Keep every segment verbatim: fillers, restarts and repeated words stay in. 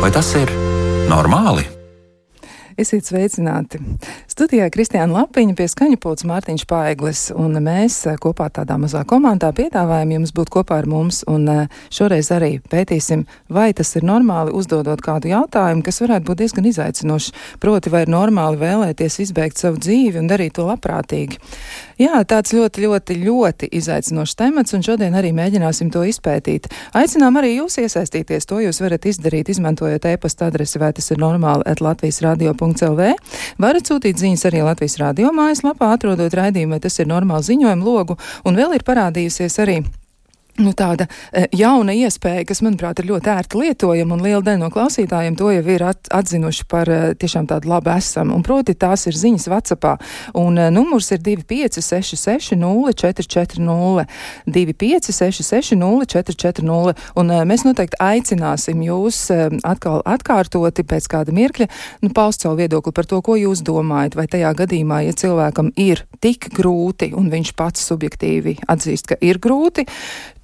Vai tas ir normāli? Esiet sveicināti. Studijā Kristiāna Lapiņa, pie skaņa pults Mārtiņš Paeglis, un mēs kopā tādā mazā komandā piedāvājam jums būt kopā ar mums, un šoreiz arī pētīsim, vai tas ir normāli, uzdodot kādu jautājumu, kas varētu būt diezgan izaicinošs, proti, vai ir normāli vēlēties izbeigt savu dzīvi un darīt to labprātīgi. Jā, tāds ļoti, ļoti, ļoti izaicinošs temats, un šodien arī mēģināsim to izpētīt. Aicinām arī jūs iesaistīties, to jūs varat izdarīt, izmantojot e-pasta adresi, vai tas ir normāli at latvijas radio punkts el vē. Varat sūtīt ziņas arī Latvijas radio mājaslapā, atrodot raidījumu, vai tas ir normāli ziņojumu logu, un vēl ir parādījusies arī Nu, tāda e, jauna iespēja, kas, manuprāt, ir ļoti ērti lietojama, un liela daļa no klausītājiem to jau ir at, atzinuši par e, tiešām tādu labu esam. Un proti tās ir ziņas WhatsAppā. Un e, numurs ir divi pieci seši seši nulle četri četri nulle. divi pieci seši seši nulle četri četri nulle. Un e, mēs noteikti aicināsim jūs e, atkal atkārtoti pēc kāda mirkļa, nu, paust savu viedokli par to, ko jūs domājat. Vai tajā gadījumā, ja cilvēkam ir tik grūti, un viņš pats subjektīvi atzīst, ka ir grūti,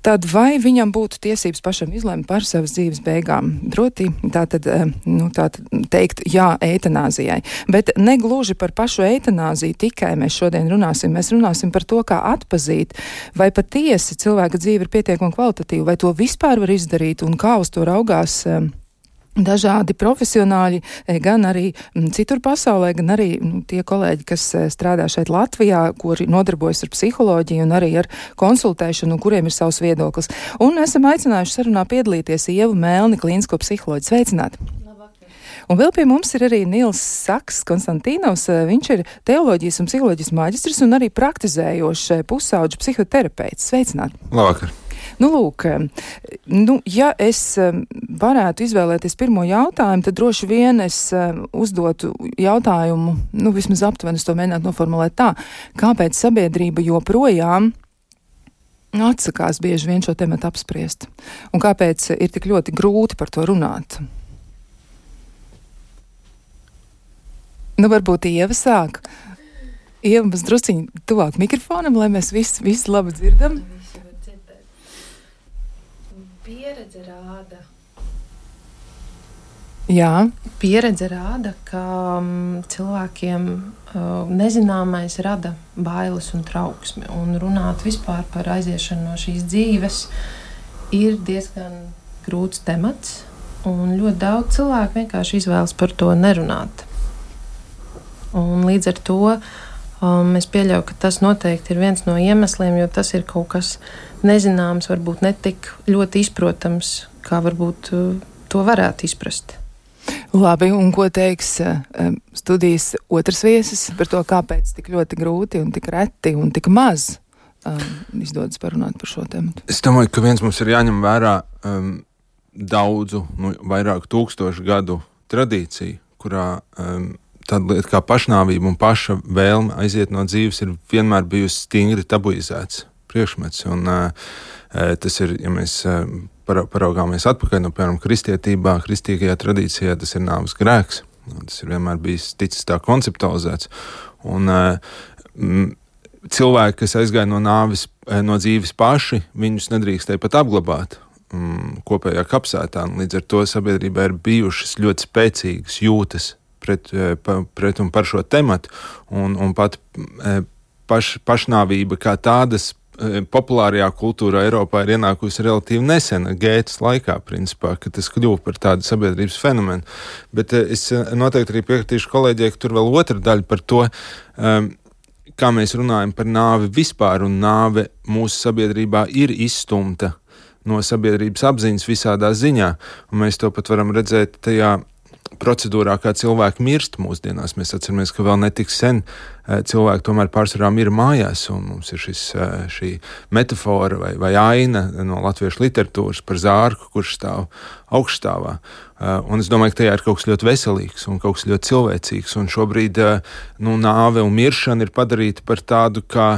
tad vai viņam būtu tiesības pašam izlemt par savas dzīves beigām? Proti, tātad, nu, tātad teikt jā eitanāzijai. Bet negluži par pašu eitanāziju tikai mēs šodien runāsim. Mēs runāsim par to, kā atpazīt, vai patiesi cilvēka dzīve ir pietiekami kvalitatīva, vai to vispār var izdarīt un kā uz to raugās dažādi profesionāļi, gan arī citur pasaulē, gan arī nu, tie kolēģi, kas strādā šeit Latvijā, kuri nodarbojas ar psiholoģiju un arī ar konsultēšanu, kuriem ir savs viedoklis. Un esam aicinājuši sarunā piedalīties Ievu Melni, klīnisko psiholoģi. Sveicināti! Un vēl pie mums ir arī Nils Saks Konstantīnovs. Viņš ir teoloģijas un psiholoģijas maģistrs un arī praktizējošs pusauģu psihoterapeits. Sveicināti! Labvakar! Nu, lūk, nu, ja es varētu izvēlēties pirmo jautājumu, tad droši vien es uzdotu jautājumu, nu, vismaz aptuveni es to mēģinātu noformulēt tā, kāpēc sabiedrība joprojām atsakās bieži vien šo tematu apspriest, un kāpēc ir tik ļoti grūti par to runāt. Nu, varbūt Ieva sāk. Ieva, mēs drusciņi tuvāk mikrofonam, lai mēs visi, visi labi dzirdam. Pieredze rāda. Jā. Pieredze rāda, ka um, cilvēkiem uh, nezināmais rada bailes un trauksmi. Un runāt vispār par aiziešanu no šīs dzīves ir diezgan grūts temats. Un ļoti daudz cilvēku vienkārši izvēlas par to nerunāt. Un līdz ar to um, es pieļauju, ka tas noteikti ir viens no iemesliem, jo tas ir kaut kas nezināms, varbūt ne tik ļoti izprotams, kā varbūt uh, to varētu izprast. Labi, un ko teiks uh, studijas otrs viesis par to, kāpēc tik ļoti grūti un tik reti un tik maz um, izdodas parunāt par šo tematu? Es domāju, ka viens mums ir jāņem vērā um, daudzu, nu, vairāku tūkstošu gadu tradīciju, kurā um, tāda lieta kā pašnāvība un paša vēlme aiziet no dzīves ir vienmēr bijusi stingri tabuizēts priekšmets, un uh, tas ir, ja mēs uh, paraugāmies atpakaļ, nu, piemēram, kristietībā, kristīgajā tradīcijā, tas ir nāves grēks, tas ir vienmēr bijis ticis tā konceptualizēts, un uh, m, cilvēki, kas aizgāja no nāves, no dzīves paši, viņus nedrīkstēja pat apglabāt um, kopējā kapsētā, un līdz ar to sabiedrībā ir bijušas ļoti spēcīgas jūtas pret, pret un par šo tematu, un, un pat paš, pašnāvība kā tādas populārajā kultūrā Eiropā ir ienākusi relatīvi nesen, Gētas laikā, principā, ka tas kļuva par tādu sabiedrības fenomenu. Bet es noteikti arī piekritīšu kolēģiem, ka tur vēl otra daļa par to, um, kā mēs runājam par nāvi vispār, un nāve mūsu sabiedrībā ir izstumta no sabiedrības apziņas visādā ziņā, un mēs to pat varam redzēt tajā procedūrā, kā cilvēki mirst mūsdienās. Mēs atceramies, ka vēl netik sen cilvēki tomēr pārsvarā mira mājās, un mums ir šis, šī metafora vai, vai aina no latviešu literatūras par zārku, kurš stāv augšstāvā. Un es domāju, ka tajā ir kaut kas ļoti veselīgs un kaut kas ļoti cilvēcīgs, un šobrīd nu, nāve un miršana ir padarīta par tādu, kā,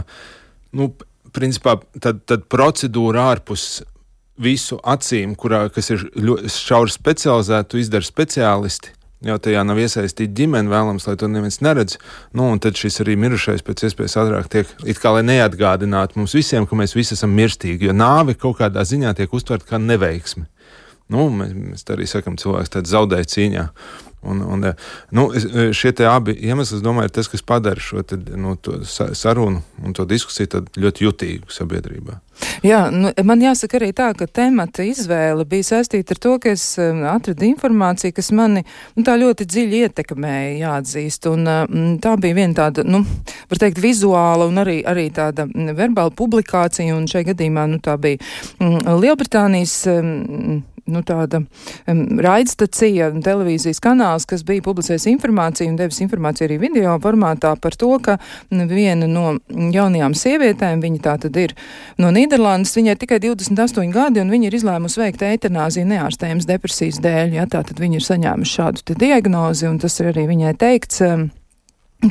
nu, principā, tad, tad procedūra ārpus visu acīm, kurā, kas ir ļoti šauri specializēti, to izdara speciālisti. Jau tajā nav iesaistīta ģimene, vēlams, lai to neviens neredz. Nu, un tad šis arī mirušais pēc iespējas ātrāk tiek, it kā lai neatgādinātu mums visiem, ka mēs visi esam mirstīgi, jo nāve kaut kādā ziņā tiek uztverta kā neveiksme. Nu, mēs, mēs tā arī sakam, cilvēks tāds zaudēja cīņā. Un, un, nu, šie te abi iemesli, es domāju, ir tas, kas padara šo te, nu, to sarunu un to diskusiju tad ļoti jutīgu sabiedrībā. Jā, nu, man jāsaka arī tā, ka temata izvēle bija saistīta ar to, ka es um, atradu informāciju, kas mani nu, tā ļoti dziļi ietekmēja, jāatzīst. Un um, tā bija viena tāda, nu, var teikt, vizuāla un arī, arī tāda verbāla publikācija, un šajā gadījumā, nu, tā bija um, Lielbritānijas um, nu, tāda um, raidstacija, televīzijas kanāls, kas bija publicējis informāciju un devis informāciju arī video formātā par to, ka viena no jaunajām sievietēm, viņa tā tad ir no Nīderlandes, viņai ir tikai divdesmit astoņi gadi, un viņa ir izlēmusi veikt eitanāziju neārstējums depresijas dēļ, ja, tā tad viņa ir saņēmusi šādu te diagnozi, un tas ir arī viņai teikts, um,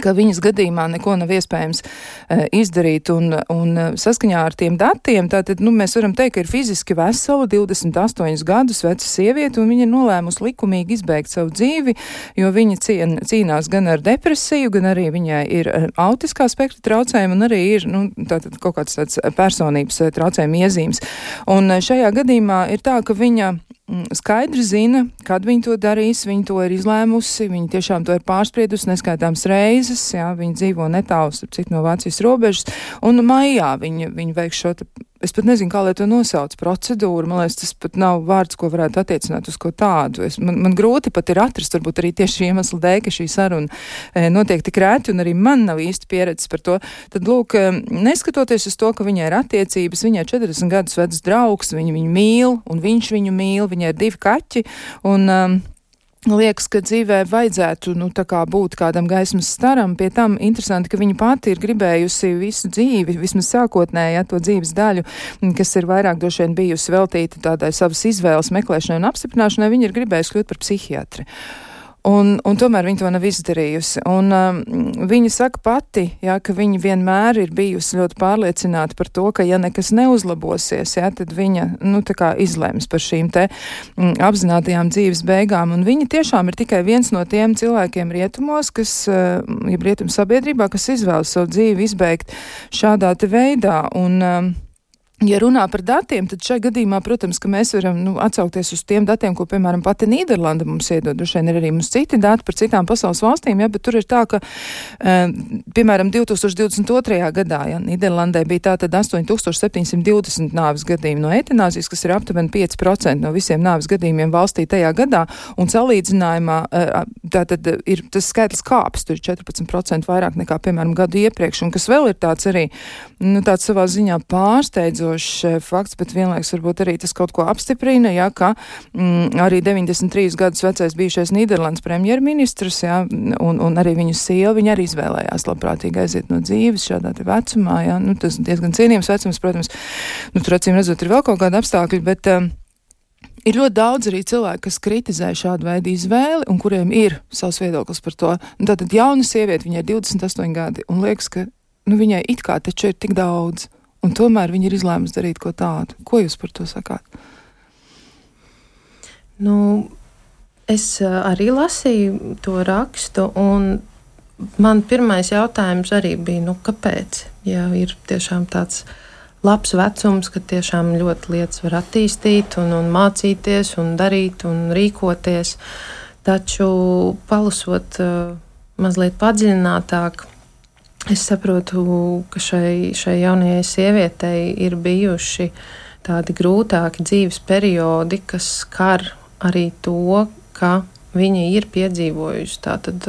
ka viņas gadījumā neko nav iespējams uh, izdarīt, un, un uh, saskaņā ar tiem datiem, tātad, nu, mēs varam teikt, ka ir fiziski vesela, divdesmit astoņus gadus veca sieviete, un viņa ir nolēmusi likumīgi izbeigt savu dzīvi, jo viņa cien, cīnās gan ar depresiju, gan arī viņai ir uh, autiskā spektra traucējumi, un arī ir, nu, tātad kaut kāds tāds personības uh, traucējuma iezīmes. Un uh, šajā gadījumā ir tā, ka viņa skaidri zina, kad viņi to darīs, viņi to ir izlēmusi, viņi tiešām to ir pārspriedusi neskaitāms reizes, jā, viņi dzīvo netālu, starp citu, no Vācijas robežas, un maijā viņi, viņi veiks šo, es pat nezinu, kā lai to nosauc, procedūru, man liekas, tas pat nav vārds, ko varētu attiecināt uz ko tādu. Es, man, man grūti pat ir atrast, varbūt arī tieši iemeslu dēļ, ka šī saruna e, notiek tik rēti, un arī man nav īsti pieredzes par to. Tad, lūk, neskatoties uz to, ka viņai ir attiecības, viņai ir četrdesmit gadus vecs draugs, viņa viņu mīl, un viņš viņu mīl, viņai ir divi kaķi, un um, liekas, ka dzīvē vajadzētu, nu, tā kā būt kādam gaismas staram, pie tam interesanti, ka viņa pati ir gribējusi visu dzīvi, vismaz sākotnēji, ja, to dzīves daļu, kas ir vairāk droši vien bijusi veltīta tādai savas izvēles meklēšanai un apstiprināšanai, viņa ir gribējusi kļūt par psihiatri. Un, un tomēr viņa to nav izdarījusi. Un um, viņa saka pati, jā, ka viņa vienmēr ir bijusi ļoti pārliecināta par to, ka ja nekas neuzlabosies, jā, tad viņa, nu, tā kā izlems par šīm te mm, apzinātajām dzīves beigām. Un viņa tiešām ir tikai viens no tiem cilvēkiem rietumos, kas, uh, ja rietum sabiedrībā, kas izvēlas savu dzīvi izbeigt šādā te veidā. Un, um, Ja runā par datiem, tad šajā gadījumā, protams, ka mēs varam nu, atsaukties uz tiem datiem, ko, piemēram, pati Nīderlanda mums iedod. Droši vien ir arī mums citi dati par citām pasaules valstīm, ja, bet tur ir tā, ka, uh, piemēram, divi tūkstoši divdesmit otrajā gadā, ja, Nīderlandē bija tātad astoņi tūkstoši septiņsimt divdesmit nāves gadījumi no eitanāzijas, kas ir aptuveni pieci procenti no visiem nāves gadījumiem valstī tajā gadā, un salīdzinājumā uh, tātad ir tas skaitlis kāpis, tur ir četrpadsmit procenti vairāk nekā, piemēram, gadu iepriekš, un kas vēl ir tāds arī, nu, tāds savā ziņā pārsteidzošs fakts, bet vienlaiks varbūt arī tas kaut ko apstiprina, jā, ka mm, arī deviņdesmit trīs gadus vecais bijušais Nīderlandes premjerministrs, jā, un, un arī viņu sieva, viņa arī izvēlējās labprātīgi aiziet no dzīves šādā te vecumā, jā, nu, tas diezgan cienījams vecums, protams, nu, tur acīm redzot ir vēl kaut kāda apstākļi, bet um, ir ļoti daudz arī cilvēki, kas kritizē šādu veidu izvēli un kuriem ir savs viedoklis par to. Un tātad jauna sieviete, viņai ir divdesmit astoņi gadi, un liekas, ka, nu, viņai it kā taču ir tik daudz. Un tomēr viņi ir izlēmusi darīt ko tādu. Ko jūs par to sakāt? Nu, es arī lasīju to rakstu, un man pirmais jautājums arī bija, nu, kāpēc? Ja ir tiešām tāds labs vecums, ka tiešām ļoti lietas var attīstīt un, un mācīties un darīt un rīkoties, taču palasot uh, mazliet padziļinātāk, es saprotu, ka šai, šai jaunajai sievietei ir bijuši tādi grūtāki dzīves periodi, kas skar arī to, ka viņa ir piedzīvojusi tātad,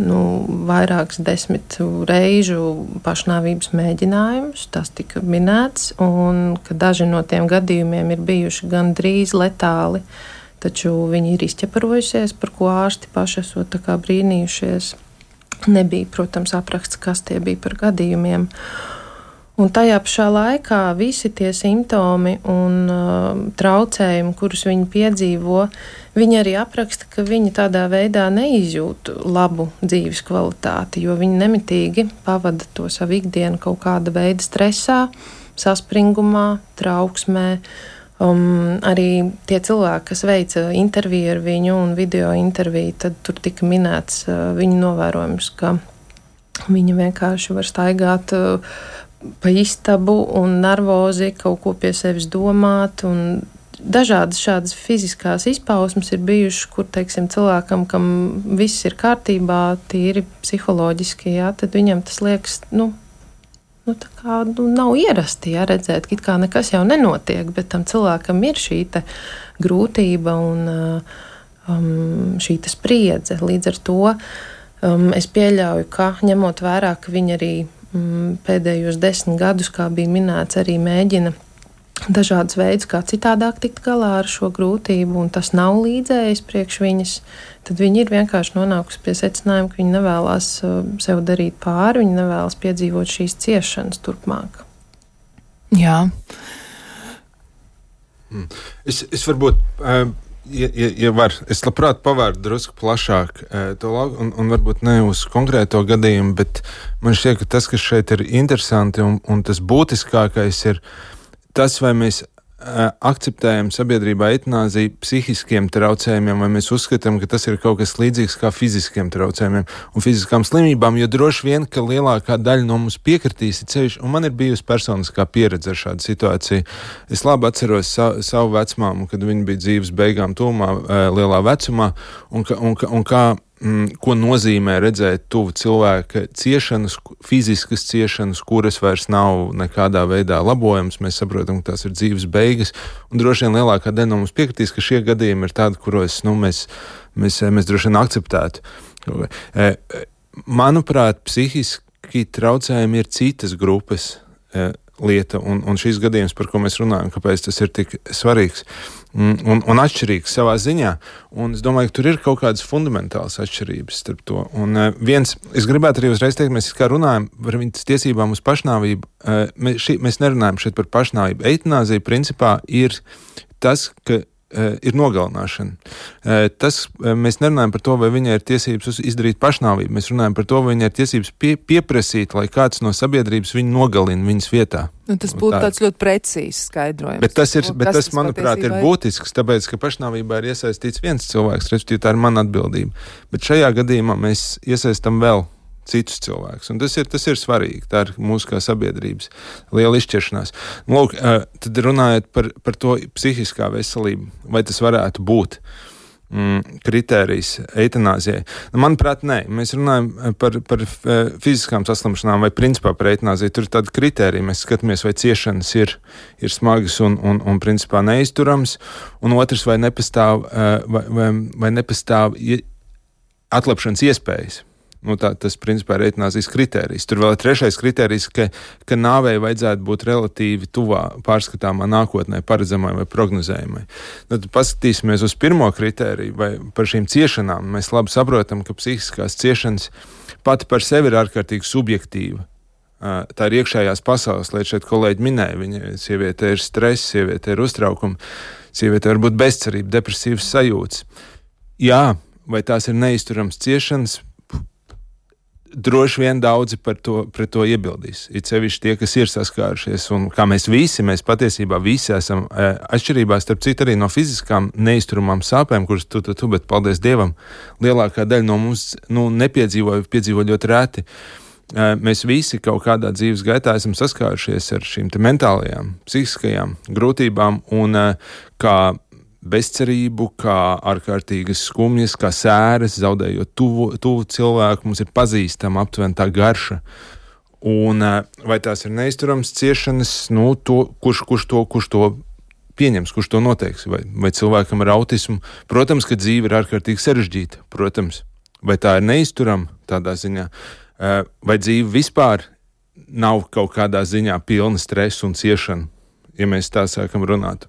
nu, vairākas desmit reižu pašnāvības mēģinājumus, tas tika minēts, un ka daži no tiem gadījumiem ir bijuši gan drīz letāli, taču viņa ir izķeparojusies, par ko ārsti paši esot tā kā brīnījušies. Nebija, protams, apraksts, kas tie bija par gadījumiem. Un tajā pašā laikā visi tie simptomi un uh, traucējumi, kurus viņi piedzīvo, viņi arī apraksta, ka viņi tādā veidā neizjūt labu dzīves kvalitāti, jo viņi nemitīgi pavada to savu ikdienu kaut kāda veida stresā, saspringumā, trauksmē. Um, arī tie cilvēki, kas veica interviju ar viņu un video interviju, tad tur tika minēts uh, viņa novērojums, ka viņa vienkārši var staigāt uh, pa istabu un nervozi kaut ko pie sevis domāt, un dažādas šādas fiziskās izpausmes ir bijušas, kur, teiksim, cilvēkam, kam viss ir kārtībā, tīri psiholoģiski, jā, tad viņam tas liekas, nu, nu tā kā nu, nav ierasti, jā, redzēt, ka it kā nekas jau nenotiek, bet tam cilvēkam ir šī te grūtība un um, šī te spriedze. Līdz ar to um, es pieļauju, ka ņemot vērā, ka viņi arī um, pēdējos desmit gadus, kā bija minēts, arī mēģina dažādas veidus, kā citādāk tikt galā ar šo grūtību, un tas nav līdzējis priekš viņas, tad viņi ir vienkārši nonākusi pie secinājuma, ka viņi nevēlas sev darīt pāri, viņi nevēlas piedzīvot šīs ciešanas turpmāk. Jā. Es, es varbūt, ja, ja, ja var, es labprāt pavērtu drusku plašāk to lauku, un, un varbūt ne uz konkrēto gadījumu, bet man šķiet, ka tas, kas šeit ir interesanti un, un tas būtiskākais ir tas, vai mēs uh, akceptējam sabiedrībā eitanāziju psihiskiem traucējumiem, vai mēs uzskatām, ka tas ir kaut kas līdzīgs kā fiziskiem traucējumiem un fiziskām slimībām, jo droši vien, ka lielākā daļa no mums piekritīs ceļš, un man ir bijusi personiskā pieredze ar šādu situāciju. Es labi atceros sa, savu vecmāmu, kad viņa bija dzīves beigām tūmā, uh, lielā vecumā, un, ka, un, un kā Mm, ko nozīmē redzēt tuvu cilvēka ciešanas, fiziskas ciešanas, kuras vairs nav nekādā veidā labojams. Mēs saprotam, ka tās ir dzīves beigas, un droši vien lielākā daļa no mums piekritīs, ka šie gadījumi ir tādi, kuros nu, mēs, mēs, mēs droši vien akceptētu. Manuprāt, psihiski traucējumi ir citas grupas lieta, un, un šīs gadījums, par ko mēs runājam, kāpēc tas ir tik svarīgs un, un, un atšķirīgs savā ziņā. Un es domāju, ka tur ir kaut kādas fundamentālas atšķirības starp to. Un uh, viens, es gribētu arī uzreiz teikt, mēs kā runājam par viņas tiesībām uz pašnāvību. Uh, mēs, šī, mēs nerunājam šeit par pašnāvību. Eitanāzija principā ir tas, ka Uh, ir nogalināšana. Uh, tas, uh, mēs nerunājam par to, vai viņai ir tiesības izdarīt pašnāvību. Mēs runājam par to, vai viņai ir tiesības pie, pieprasīt, lai kāds no sabiedrības viņu nogalina viņas vietā. Nu, tas būtu tā. Tāds ļoti precīzs skaidrojums. Bet tas, ir, bet tas, tas manuprāt, ir būtisks, tāpēc, ka pašnāvībā ir iesaistīts viens cilvēks, respektīvi tā ir mana atbildība. Bet šajā gadījumā mēs iesaistam vēl citus cilvēkus. Un tas ir, tas ir svarīgi. Tā ir mūsu kā sabiedrības liela izšķiršanās. Lūk, tad runājot par, par to psihiskā veselību, vai tas varētu būt mm, kritērijs eitanāzijai. Manuprāt, nē. Mēs runājam par, par fiziskām saslimšanām vai principā par eitanāziju. Tur ir tāda kritērija. Mēs skatāmies, vai ciešanas ir, ir smagas un, un, un principā neizturams. Un otrs, vai nepastāv, vai, vai, vai nepastāv atlapšanas iespējas. Nu, tā, tas, principā, ir eitanāzijas kritērijs. Tur vēl ir trešais kritērijs, ka, ka nāvei vajadzētu būt relatīvi tuvā pārskatāmā nākotnē, paredzamai vai prognozējumai. Tad paskatīsimies uz pirmo kritēriju, vai par šīm ciešanām. Mēs labi saprotam, ka psihiskās ciešanas pati par sevi ir ārkārtīgi subjektīva. Tā ir iekšējās pasaules lieta, šeit kolēģi minēja. Viņa sieviete ir stress, sieviete ir uztraukumi, sieviete var būt bezcerība, depresīvas sajūtas. Jā, vai tās ir neizturams ciešanas? Droši vien daudzi par to, pret to iebildīs. It sevišķi tie, kas ir saskārušies, un kā mēs visi, mēs patiesībā visi esam e, atšķirībā, starp citu arī no fiziskām neizturamām sāpēm, kuras tu, tu, tu, bet paldies Dievam, lielākā daļa no mums nu, nepiedzīvoja, piedzīvo ļoti reti. E, mēs visi kaut kādā dzīves gaitā esam saskārušies ar šīm te mentālajām, psihiskajām grūtībām, un e, kā bezcerību, kā ārkārtīgas skumjas, kā sēras, zaudējot tuvu, tuvu cilvēku, mums ir pazīstama aptuveni tā garša. Un vai tās ir neizturams ciešanas, nu, to, kurš, kurš, to, kurš to pieņems, kurš to noteiks, vai, vai cilvēkam ar autismu. Protams, ka dzīve ir ārkārtīgi sarežģīta, protams, vai tā ir neizturama tādā ziņā, vai dzīve vispār nav kaut kādā ziņā pilna stresa un ciešana, ja mēs tā sākam runāt.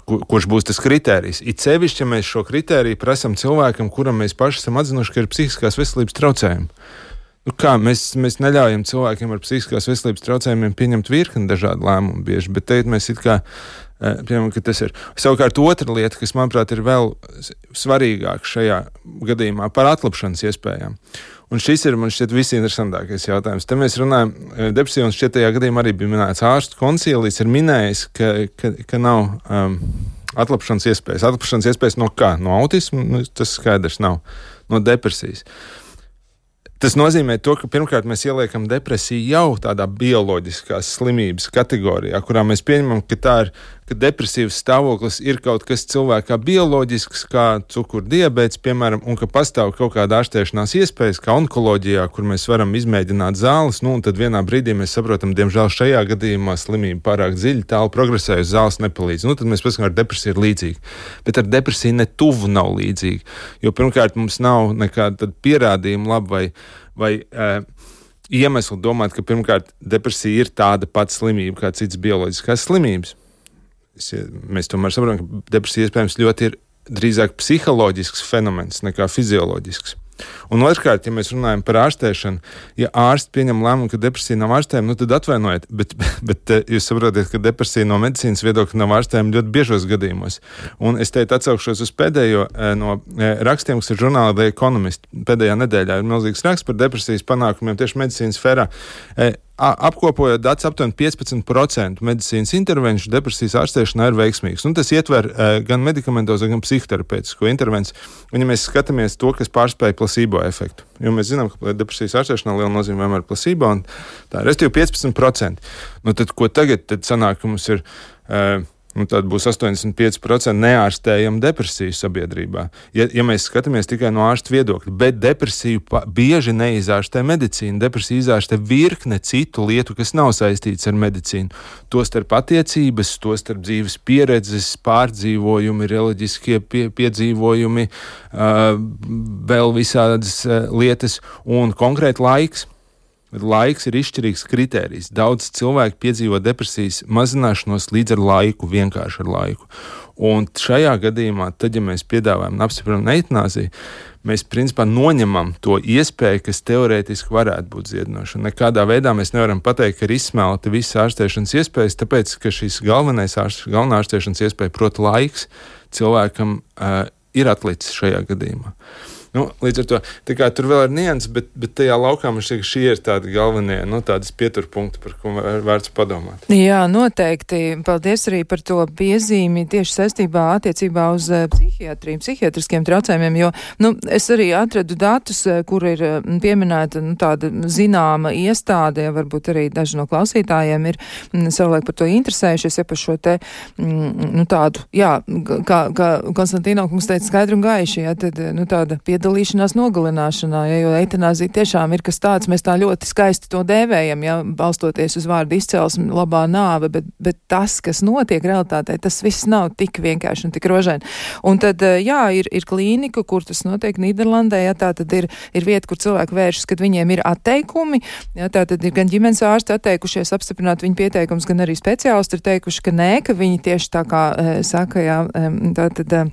Kur, kurš būs tas kritērijs. It sevišķi, ja mēs šo kritēriju prasam cilvēkam, kuram mēs paši esam atzinuši, ka ir psihiskās veselības traucējumi. Nu kā, mēs, mēs neļaujam cilvēkiem ar psihiskās veselības traucējumiem pieņemt virkni dažādu lēmumu bieži, bet teikt mēs it kā, piemēram, ka tas ir. Savukārt otra lieta, kas, manuprāt, ir vēl svarīgāk šajā gadījumā par atlapšanas iespējām. Un šis ir, man šķiet, visinteresantākais jautājums. Te mēs runājam, depresija, un šķiet tajā gadījumā arī bija minēts ārstu koncīlijs, ir minējis, ka, ka, ka nav um, atlapšanas iespējas. Atlapšanas iespējas no kā? No autisma? Nu, tas skaidrs nav. No depresijas. Tas nozīmē to, ka pirmkārt mēs ieliekam depresiju jau tādā bioloģiskās slimības kategorijā, kurā mēs pieņemam, ka tā ir ka depresīvs stāvoklis ir kaut kas cilvēkā bioloģisks, kā cukura diabēts, piemēram, un ka pastāv kaut kāda ārstēšanās iespējas, kā onkoloģijā, kur mēs varam izmēģināt zāles, nu, un tad vienā brīdī mēs saprotam, diemžēl šajā gadījumā slimība pārāk dziļi, tālu progresējusi, zāles nepalīdz. Nu, tad mēs paskatām, ar depresiju ir līdzīgi. Bet ar depresiju ne tuvu nav līdzīgi, jo pirmkārt mums nav nekāda pierādījuma labi vai, vai uh, iemesli domāt, ka pirmkārt depresija ir tāda pati slimība kā citas bioloģiskās slimības. Mēs tomēr saprotam, ka depresija iespējams ļoti ir drīzāk psiholoģisks fenomens nekā fizioloģisks. Un otrkārt, ja mēs runājam par ārstēšanu, ja ārsti pieņem lēmumu, ka depresija nav ārstējama, nu tad atvainojiet, bet, bet jūs saprotiet, ka depresija no medicīnas viedokļa nav ārstējama ļoti biežos gadījumos. Un es teikt atsaukšos uz pēdējo no rakstiem, kas ir žurnālā The Economist. Pēdējā nedēļā ir milzīgs raksts par depresijas panākumiem tieši medicīnas sfērā. Apkopojot datus, aptuveni piecpadsmit procenti medicīnas intervenciju depresijas ārstēšanā ir veiksmīgs. Un tas ietver uh, gan medikamentozo, gan psihoterapeitisko intervenciju. Un ja mēs skatāmies to, kas pārspēj placebo efektu, jo mēs zinām, ka depresijas ārstēšanā liela nozīme vienmēr ir placebo, un tā ir restīvi piecpadsmit procenti. Nu tad, ko tagad tad sanāk, ka mums ir... Uh, Nu, tad būs astoņdesmit pieci procenti neārstējama depresija sabiedrībā. Ja, ja mēs skatāmies tikai no ārsta viedokļa, bet depresiju pa, bieži neizārstē medicīna. Depresija izārstē virkne citu lietu, kas nav saistīts ar medicīnu. Tostarp attiecības, tostarp dzīves pieredzes, pārdzīvojumi, reliģiskie pie, piedzīvojumi, uh, vēl visādas uh, lietas un konkrēti laiks. Laiks ir izšķirīgs kritērijs. Daudz cilvēku piedzīvo depresijas mazināšanos līdz ar laiku, vienkārši ar laiku. Un šajā gadījumā, tad, ja mēs piedāvājam un apstiprinām eitanāziju, mēs principā noņemam to iespēju, kas teorētiski varētu būt dziedinoša. Nekādā veidā mēs nevaram pateikt, ka ir izsmelta visas ārstēšanas iespējas, tāpēc, ka šis galvenais ārst, galvenā ārstēšanas iespēja, proti laiks, cilvēkam uh, ir atlicis šajā gadījumā. Nu, līdz ar to, tā kā tur vēl ir nianses, bet, bet tajā laukā man šķiet, ka šie ir tādi galvenie, nu, tādas pieturpunkti, par ko vērts padomāt. Jā, noteikti. Paldies arī par to piezīmi tieši saistībā attiecībā uz psihiatriju, psihiatriskiem traucējumiem, jo, nu, es arī atradu datus, kur ir pieminēta, nu, tāda zināma iestāde, varbūt arī daži no klausītājiem ir savulaik par to interesējušies, ja par šo te, nu, tādu, jā, kā, kā Konstantīno kungs teica skaidri un gaiši, ja, tad, nu, tāda piedalīšanās dalīšanās nogalināšanā, ja, jo eitanāzija tiešām ir kas tāds, mēs tā ļoti skaisti to dēvējam, ja, balstoties uz vārdu izcelsmi, labā nāve, bet, bet tas, kas notiek realitātē, tas viss nav tik vienkārši un tik rožaini. Un tad, jā, ir, ir klīnika, kur tas notiek Nīderlandē, ja, tā tad ir, ir vieta, kur cilvēki vēršas, kad viņiem ir atteikumi, ja, tā tad ir gan ģimenes ārsti atteikušies apstiprināt viņu pieteikums, gan arī speciālisti ir teikuši, ka nē, ka viņi tieši tā kā e, saka, jā, tā tad. E,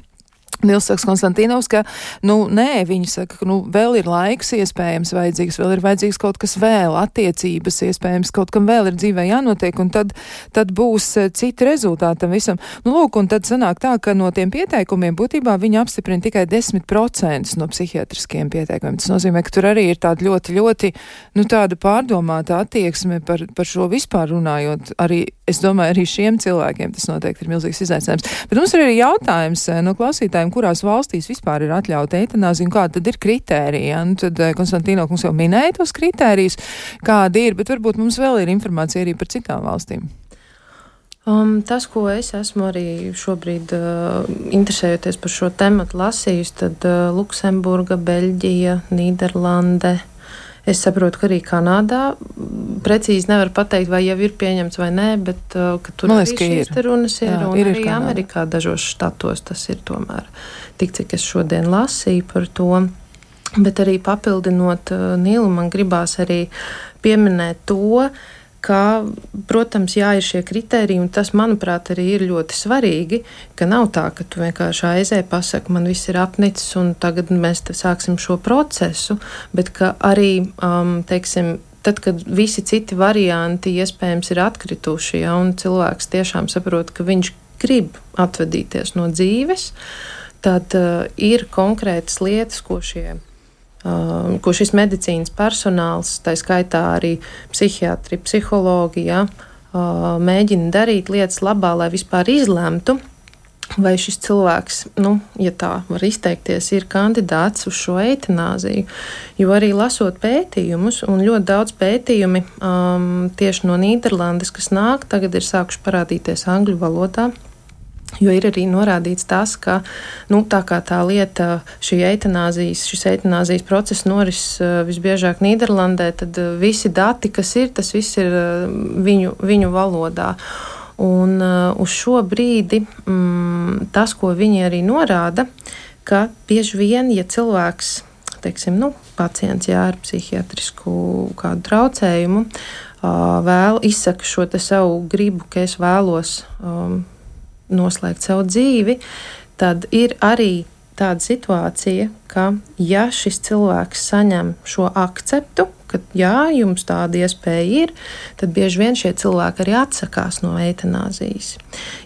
Nils saka Konstantīnovs, ka, nu, nē, viņi saka, ka, nu, vēl ir laiks iespējams vajadzīgs, vēl ir vajadzīgs kaut kas vēl, attiecības iespējams, kaut kam vēl ir dzīvē jānotiek, un tad, tad būs citi rezultāti tam visam. Nu, lūk, un tad sanāk tā, ka no tiem pieteikumiem būtībā viņi apstiprina tikai desmit procenti no psihiatriskiem pieteikumiem. Tas nozīmē, ka tur arī ir tāda ļoti, ļoti, nu, tāda pārdomāta attieksme par, par šo vispār runājot. Arī, es domāju, arī šiem cilvēkiem tas noteikti ir milzīgs izaicinājums. Bet mums ir arī jautājums no klausītājiem, kurās valstīs vispār ir atļauta eitanāzija un kāda tad ir kritērija. Nu, tad Konstantīno kungs jau minēja tos kritērijus, kādi ir, bet varbūt mums vēl ir informācija arī par citām valstīm. Um, tas, ko es esmu arī šobrīd uh, interesējoties par šo tematu lasījusi, tad uh, Luksemburga, Beļģija, Nīderlande. Es saprotu, ka arī Kanādā precīzi nevar pateikt, vai jau ir pieņemts vai nē, bet uh, ka tur Liekas, arī šīs te runas ir, Jā, un ir, arī ir Amerikā dažos štatos tas ir tomēr tik, cik es šodien lasīju par to. Bet arī papildinot uh, Nilu, man gribās arī pieminēt to, ka, protams, jā, ir šie kritēriji, un tas, manuprāt, arī ir ļoti svarīgi, ka nav tā, ka tu vienkārši aizēji, pasaki, man viss ir apnicis, un tagad mēs te sāksim šo procesu, bet ka arī, um, teiksim, tad, kad visi citi varianti iespējams ir atkrituši, ja, un cilvēks tiešām saprot, ka viņš grib atvadīties no dzīves, tad uh, ir konkrētas lietas, ko šie Uh, ko šis medicīnas personāls, tā skaitā arī psihiatri, psihologi, ja, uh, mēģina darīt lietas labā, lai vispār izlemtu, vai šis cilvēks, nu, ja tā var izteikties, ir kandidāts uz šo eitanāziju. Jo arī lasot pētījumus, un ļoti daudz pētījumi um, tieši no Nīderlandes, kas nāk, tagad ir sākuši parādīties angļu valodā, Jo ir arī norādīts tas, ka nu, tā kā tā lieta, šī eitanāzijas, šis eitanāzijas process noris visbiežāk Nīderlandē, tad visi dati, kas ir, tas viss ir viņu, viņu valodā. Un uz šo brīdi mm, tas, ko viņi arī norāda, ka bieži vien, ja cilvēks, teiksim, nu, pacients jā, ar psihiatrisku kādu traucējumu, vēl izsaka šo te savu gribu, ka es vēlos um, noslēgt savu dzīvi, tad ir arī tāda situācija, ka ja šis cilvēks saņem šo akceptu, ka jā, jums tāda iespēja ir, tad bieži vien šie cilvēki arī atsakās no eitanāzijas.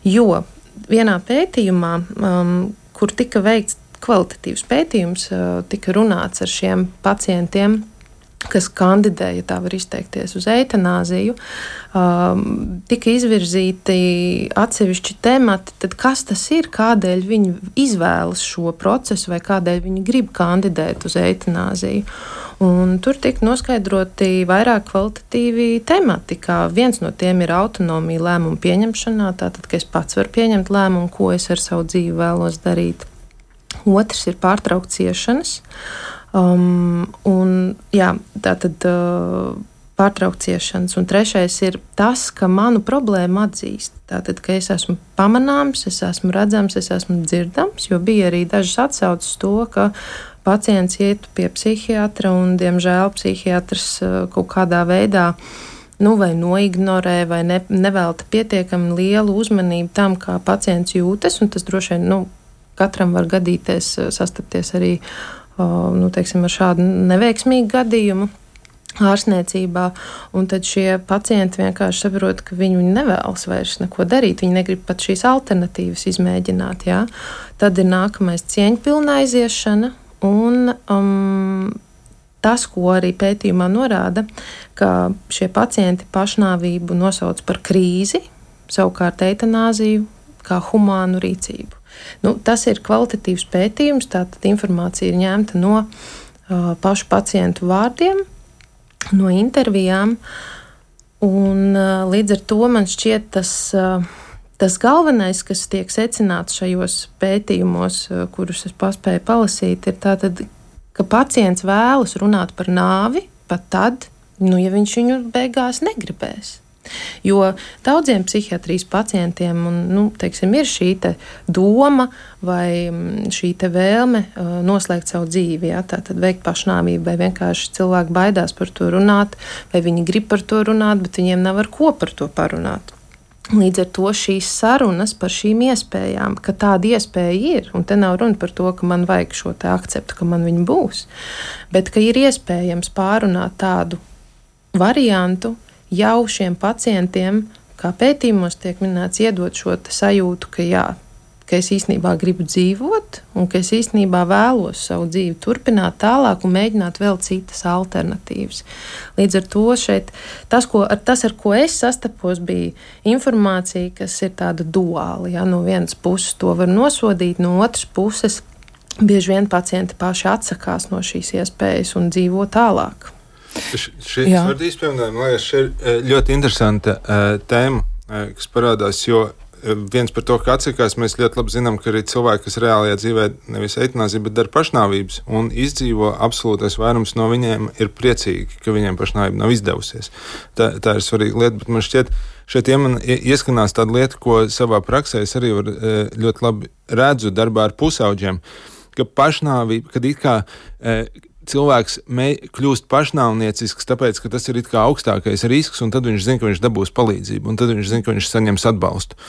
Jo vienā pētījumā, um, kur tika veikts kvalitatīvs pētījums, uh, tika runāts ar šiem pacientiem, kas kandidē, ja tā var izteikties, uz eitanāziju, um, tika izvirzīti atsevišķi temati, tad kas tas ir, kādēļ viņi izvēlas šo procesu vai kādēļ viņi grib kandidēt uz eitanāziju. Un tur tika noskaidroti vairāk kvalitatīvi temati, kā viens no tiem ir autonomija lēmumu pieņemšanā, tātad, ka es pats varu pieņemt lēmumu, ko es ar savu dzīvi vēlos darīt. Otrs ir pārtraukt ciešanas. Um, un, jā, tātad uh, pārtraukt ciešanas. Un trešais ir tas, ka manu problēmu atzīst. Tātad, ka es esmu pamanāms, es esmu redzams, es esmu dzirdams, jo bija arī dažas atsauces to, ka pacients iet pie psihiatra un, diemžēl, psihiatrs uh, kaut kādā veidā nu, vai noignorē, vai ne, nevelta pietiekami lielu uzmanību tam, kā pacients jūtas, un tas droši vien, nu, katram var gadīties, sastapties arī nu, teiksim, ar šādu neveiksmīgu gadījumu ārstniecībā, un tad šie pacienti vienkārši saprot, ka viņi nevēlas vairs neko darīt, viņi negrib pat šīs alternatīvas izmēģināt, jā. Tad ir nākamais cieņpilna aiziešana, un um, tas, ko arī pētījumā norāda, ka šie pacienti pašnāvību nosauc par krīzi, savukārt eitanāziju kā humānu rīcību. Nu, tas ir kvalitatīvs pētījums, tātad informācija ir ņemta no uh, pašu pacientu vārdiem, no intervijām, un uh, līdz ar to man šķiet tas, uh, tas galvenais, kas tiek secināts šajos pētījumos, uh, kurus es paspēju palasīt, ir tātad, ka pacients vēlas runāt par nāvi pat tad, nu, ja viņš viņu beigās negribēs. Jo daudziem psihiatrijas pacientiem un, nu, teiksim, ir šī te doma vai šī te vēlme uh, noslēgt savu dzīvi, ja, tātad veikt pašnāvību, vai vienkārši cilvēki baidās par to runāt, vai viņi grib par to runāt, bet viņiem nav ar ko par to parunāt. Līdz ar to šīs sarunas par šīm iespējām, ka tāda iespēja ir, un te nav runa par to, ka man vajag šo te akceptu, ka man viņa būs, bet ka ir iespējams pārunāt tādu variantu, jau šiem pacientiem, kā pētījumos tiek minēts, iedot šo sajūtu, ka jā, ka es īstenībā gribu dzīvot un ka es īstenībā vēlos savu dzīvi turpināt tālāk un mēģināt vēl citas alternatīvas. Līdz ar to šeit tas, ko, ar, tas ar ko es sastapos, bija informācija, kas ir tāda duāla. Ja? No vienas puses to var nosodīt, no otras puses bieži vien pacienti paši atsakās no šīs iespējas un dzīvo tālāk. Šis var izpildīt, man liekas, šī ir ļoti interesanta uh, tēma, uh, kas parādās, jo uh, viens par to, ka atsakās, mēs ļoti labi zinām, ka arī cilvēki, kas reālajā dzīvē nevis eitanāziju, bet dara pašnāvības un izdzīvo, absolūtais vairums no viņiem ir priecīgi, ka viņiem pašnāvība nav izdevusies. Tā, tā ir svarīga lieta, bet man šķiet, šeit ja man ieskanās tāda lieta, ko savā praksē es arī var, uh, ļoti labi redzu darbā ar pusauģiem, ka pašnāvība, kad it kā uh, cilvēks mē, kļūst pašnāvniecisks, tāpēc, ka tas ir it kā augstākais risks, un tad viņš zina, ka viņš dabūs palīdzību, un tad viņš zina, ka viņš saņems atbalstu.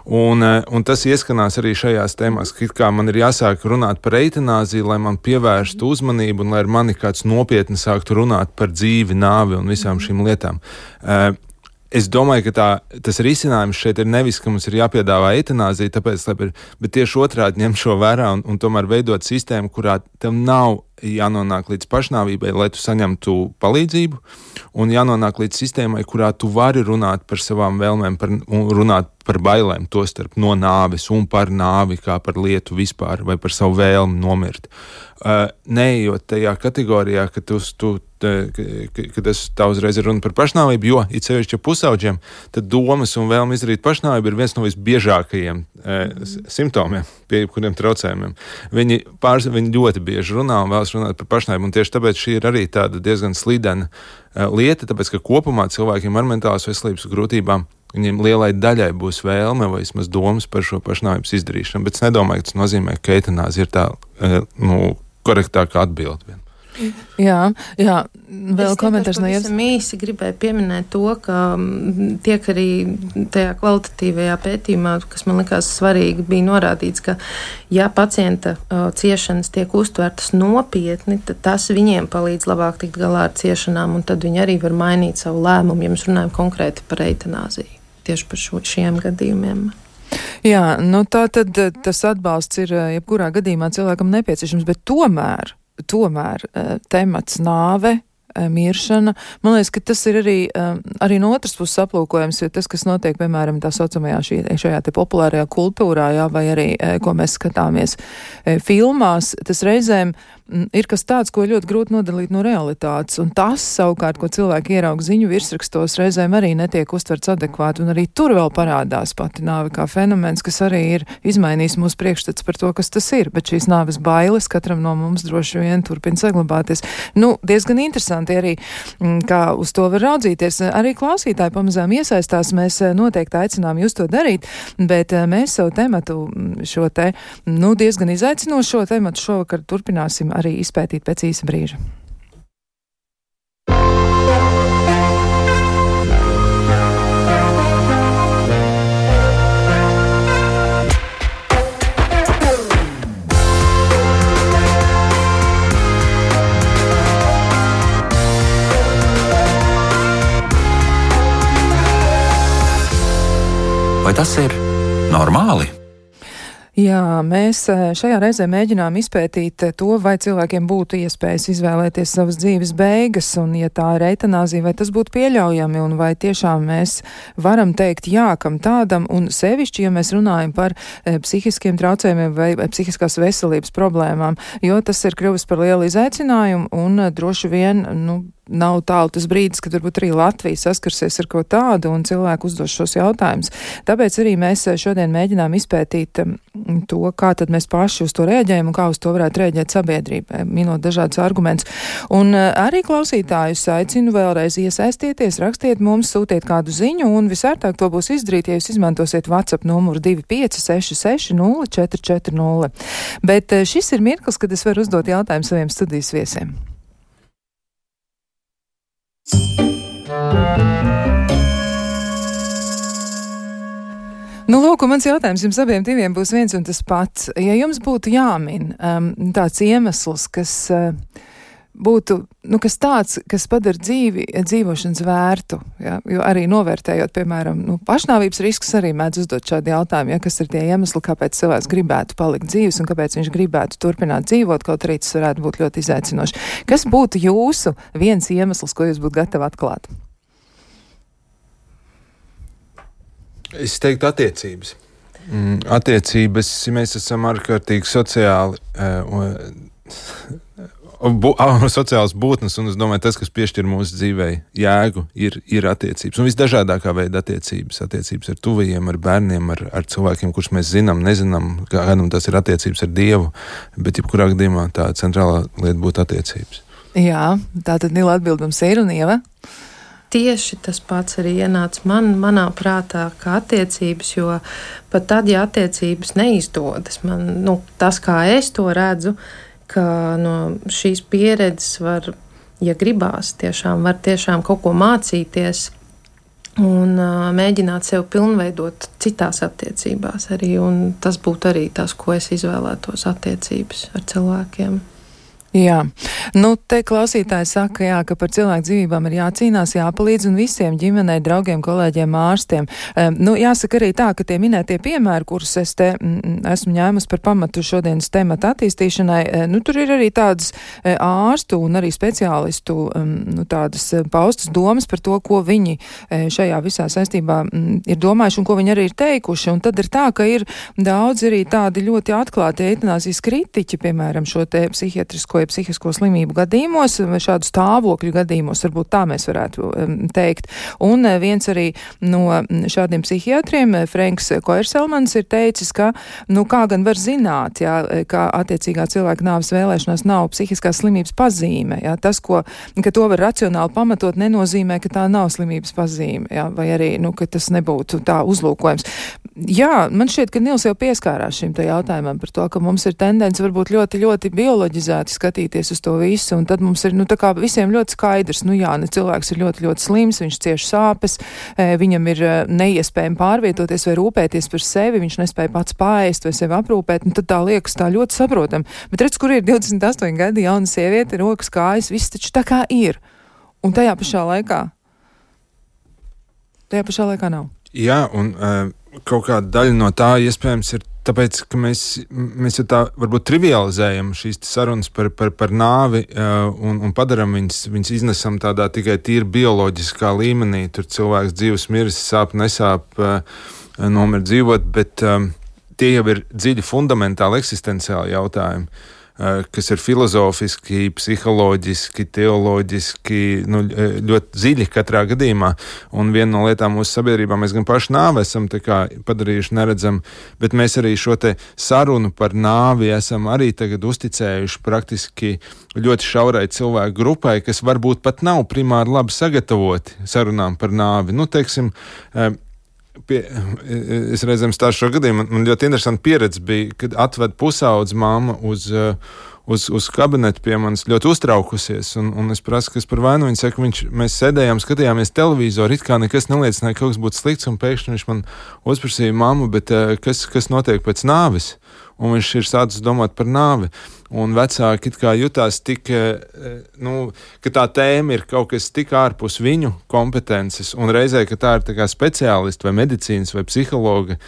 Un, un tas ieskanās arī šajās tēmās, ka it kā man ir jāsāk runāt par eitanāziju, lai man pievērstu uzmanību, un lai ar mani kāds nopietni sāktu runāt par dzīvi, nāvi un visām šīm lietām. Uh, Es domāju, ka tā, tas risinājums šeit ir nevis, ka mums ir jāpiedāvā eitanāzija, tāpēc, lai, bet tieši otrādi ņemt šo vērā un, un tomēr veidot sistēmu, kurā tev nav jānonāk līdz pašnāvībai, lai tu saņemtu palīdzību, un jānonāk līdz sistēmai, kurā tu vari runāt par savām vēlmēm, par, un runāt par bailēm, tostarp no nāves un par nāvi kā par lietu vispār, vai par savu vēlmi nomirt. Uh, neejot tajā kategorijā, ka, tu, tu, te, ka, ka tas tā uzreiz ir runa par pašnāvību, jo, it sevišķi pusauģiem, tad domas un vēlme izdarīt pašnāvību ir viens no visbiežākajiem e, simptomiem, pie jebkuriem traucējumiem. Viņi, pārs, viņi ļoti bieži runā un vēlas runāt par pašnāvību, un tieši tāpēc šī ir arī tāda diezgan slidena e, lieta, tāpēc, ka kopumā cilvēkiem ar mentālās veselības grūtībām viņiem lielai daļai būs vēlme vai vismaz domas par šo pašnāvības izdarīšanu, bet es nedomāju, ka tas nozīmē, ka eitanāzija ir tā, e, nu, korektākā atbilde. Jā, jā, vēl komentārs no Ievas. Es īsi gribēju pieminēt to, ka tiek arī tajā kvalitatīvajā pētījumā, kas man likās svarīgi, bija norādīts, ka ja pacienta uh, ciešanas tiek uztvertas nopietni, tad tas viņiem palīdz labāk tikt galā ar ciešanām, un tad viņi arī var mainīt savu lēmumu, ja mēs runājam konkrēti par eitanāziju, tieši par šo, šiem gadījumiem. Jā, nu tā tad tas atbalsts ir jebkurā gadījumā cilvēkam nepieciešams, bet tomēr Tomēr temats nāve, miršana, man liekas, ka tas ir arī, arī no otras puses aplūkojams, jo tas, kas notiek, piemēram, tā saucamajā šī, šajā te populārajā kultūrā, jā, vai arī, ko mēs skatāmies filmās, tas reizēm ir kas tāds, ko ļoti grūti nodalīt no realitātes, un tas savukārt, ko cilvēki ieraug ziņu virsrakstos, reizēm arī netiek uztverts adekvāti, un arī tur vēl parādās pati nāve kā fenomens, kas arī ir izmainījis mūsu priekšstats par to, kas tas ir, bet šīs nāves bailes katram no mums droši vien turpina saglabāties. Nu, diezgan interesanti arī, kā uz to var raudzīties. Arī klausītāji pamazām iesaistās, mēs noteikti aicinām jūs to darīt, bet mēs savu tematu šo te, nu, diezgan izaicinošo tematu šovakar turpināsim arī izpētīt pēc īsa brīža. Vai tas ir normāli? Jā, mēs šajā reizē mēģinām izpētīt to, vai cilvēkiem būtu iespējas izvēlēties savas dzīves beigas, un ja tā ir eitanāzija, vai tas būtu pieļaujami, un vai tiešām mēs varam teikt jā, kam tādam, un sevišķi, ja mēs runājam par e, psihiskiem traucējumiem vai e, psihiskās veselības problēmām, jo tas ir kļuvis par lielu izaicinājumu, un droši vien, nu, nav tālu tas brīdis, kad varbūt arī Latvija saskarsies ar ko tādu un cilvēku uzdos šos jautājumus. Tāpēc arī mēs šodien mēģinām izpētīt to, kā tad mēs paši uz to reaģējam un kā uz to varētu reaģēt sabiedrība, minot dažādus argumentus. Un arī klausītājus aicinu vēlreiz iesaistieties, rakstiet mums, sūtiet kādu ziņu, un visērtāk to būs izdarīt, ja jūs izmantosiet WhatsApp numuru divi pieci seši seši nulle četri četri nulle. Bet šis ir mirklis, kad es varu uzdot jautājumu saviem studijas viesiem. Nu, lūk, mans jautājums jums abiem diviem būs viens un tas pats. Ja jums būtu jāmin um, tāds iemesls, kas uh, būtu, nu, kas tāds, kas padara dzīvi, dzīvošanas vērtu, ja? Jo arī novērtējot, piemēram, nu, pašnāvības risks arī mēdz uzdot šādu jautājumu, ja? Kas ir tie iemesli, kāpēc cilvēks gribētu palikt dzīves un kāpēc viņš gribētu turpināt dzīvot, kaut arī tas varētu būt ļoti izaicinoši. Kas būtu jūsu viens iemesls, ko jūs būtu gatavi atklāt? Es teiktu attiecības. Mm, attiecības, mēs esam ārkārtīgi sociāli, uh, bu, uh, sociāls būtnes, un es domāju, tas, kas piešķir mūsu dzīvei jēgu, ir, ir attiecības. Un visdažādākā veida attiecības. Attiecības ar tuvajiem, ar bērniem, ar, ar cilvēkiem, kurus mēs zinām, nezinām, kādam tas ir attiecības ar Dievu, bet jebkurā gadījumā tā centrālā lieta būtu attiecības. Jā, tā tad Nila atbildums ir, un Ieva? Tieši tas pats arī ienāca man, manā prātā, kā attiecības, jo pat tad, ja attiecības neizdodas, man, nu, tas, kā es to redzu, ka no šīs pieredzes var, ja gribās, tiešām var tiešām kaut ko mācīties un uh, mēģināt sev pilnveidot citās attiecībās arī, un tas būtu arī tas, ko es izvēlētos attiecības ar cilvēkiem. Jā, nu te klausītāji saka, jā, ka par cilvēku dzīvībām ir jācīnās, jāpalīdz un visiem ģimenei, draugiem, kolēģiem, ārstiem. Um, nu, jāsaka arī tā, ka tie minētie piemēri, kurus es te mm, esmu ņēmusi par pamatu šodienas temata attīstīšanai, nu, tur ir arī tādas ārstu un arī speciālistu um, nu, tādas paustas domas par to, ko viņi šajā visā saistībā mm, ir domājuši un ko viņi arī ir teikuši. Un tad ir tā, ka ir daudz arī tādi ļoti atklāti eitanāzijas kritiķi, piemēram, šo te psihiatrisko vai psihisko slimību gadījumos, vai šādu stāvokļu gadījumos, varbūt tā mēs varētu um, teikt. Un uh, viens arī no šādiem psihiatriem, Frenks Koerselmans, ir teicis, ka, nu, kā gan var zināt, jā, ka attiecīgā cilvēka nāves vēlēšanās nav psihiskās slimības pazīme, jā, tas, ko, ka to var racionāli pamatot, nenozīmē, ka tā nav slimības pazīme, jā, vai arī, nu, ka tas nebūtu tā uzlūkojums. Jā, man šķiet, ka Nils jau pieskārās šim te jautājumam par to, ka mums ir tendence varbūt ļoti, ļoti bioloģizēti skatīties uz to visu, un tad mums ir, nu, tā kā visiem ļoti skaidrs, nu jā, ne cilvēks ir ļoti, ļoti slims, viņš cieš sāpes, viņam ir neiespējami pārvietoties vai rūpēties par sevi, viņš nespēja pats paēst vai sevi aprūpēt, un tad tā liekas tā ļoti saprotam. Bet redz, kur ir divdesmit astoņi gadi jauna sieviete, rokas, kājas, viss taču tā kā ir. Un tajā pašā laikā, tajā pašā laikā nav. Jā, un uh, kaut kāda daļa no tā iespējams ir tāpēc, ka mēs, mēs jau tā varbūt trivializējam šīs sarunas par, par, par nāvi uh, un, un padaram viņas, viņas iznesam tādā tikai tīri bioloģiskā līmenī. Tur cilvēks dzīves miris, sāp, nesāp, uh, nomir dzīvot, bet um, tie jau ir dziļi fundamentāli eksistenciāli jautājumi, uh, kas ir filozofiski, psiholoģiski, teoloģiski, nu, ļoti dziļi katrā gadījumā. Un viena no lietām mūsu sabiedrībā mēs gan paši nāvi esam tā kā padarījuši neredzam, bet mēs arī šo te sarunu par nāvi esam arī tagad uzticējuši praktiski ļoti šaurai cilvēku grupai, kas varbūt pat nav primāri labi sagatavoti sarunām par nāvi. Nu, teiksim, uh, Pie, es reizēm stāstu šo gadījumu, man ļoti interesanta pieredze bija, kad atved pusaudz mamma uz, uz, uz kabinetu pie manis ļoti uztraukusies, un, un es prasu, kas par vainu, viņa saka, viņš, mēs sēdējām, skatījāmies televizoru, it kā nekas neliecināja, ka kaut kas būtu slikts, un pēkšņi viņš man uzprasīja, mammu, bet kas, kas notiek pēc nāves? Un viņš ir sācis domāt par nāvi. Un vecāki it kā jutās tik, nu, ka tā tēma ir kaut kas tik ārpus viņu kompetences, un reizē, ka tā ir tā kā speciālisti vai medicīnas vai psihologa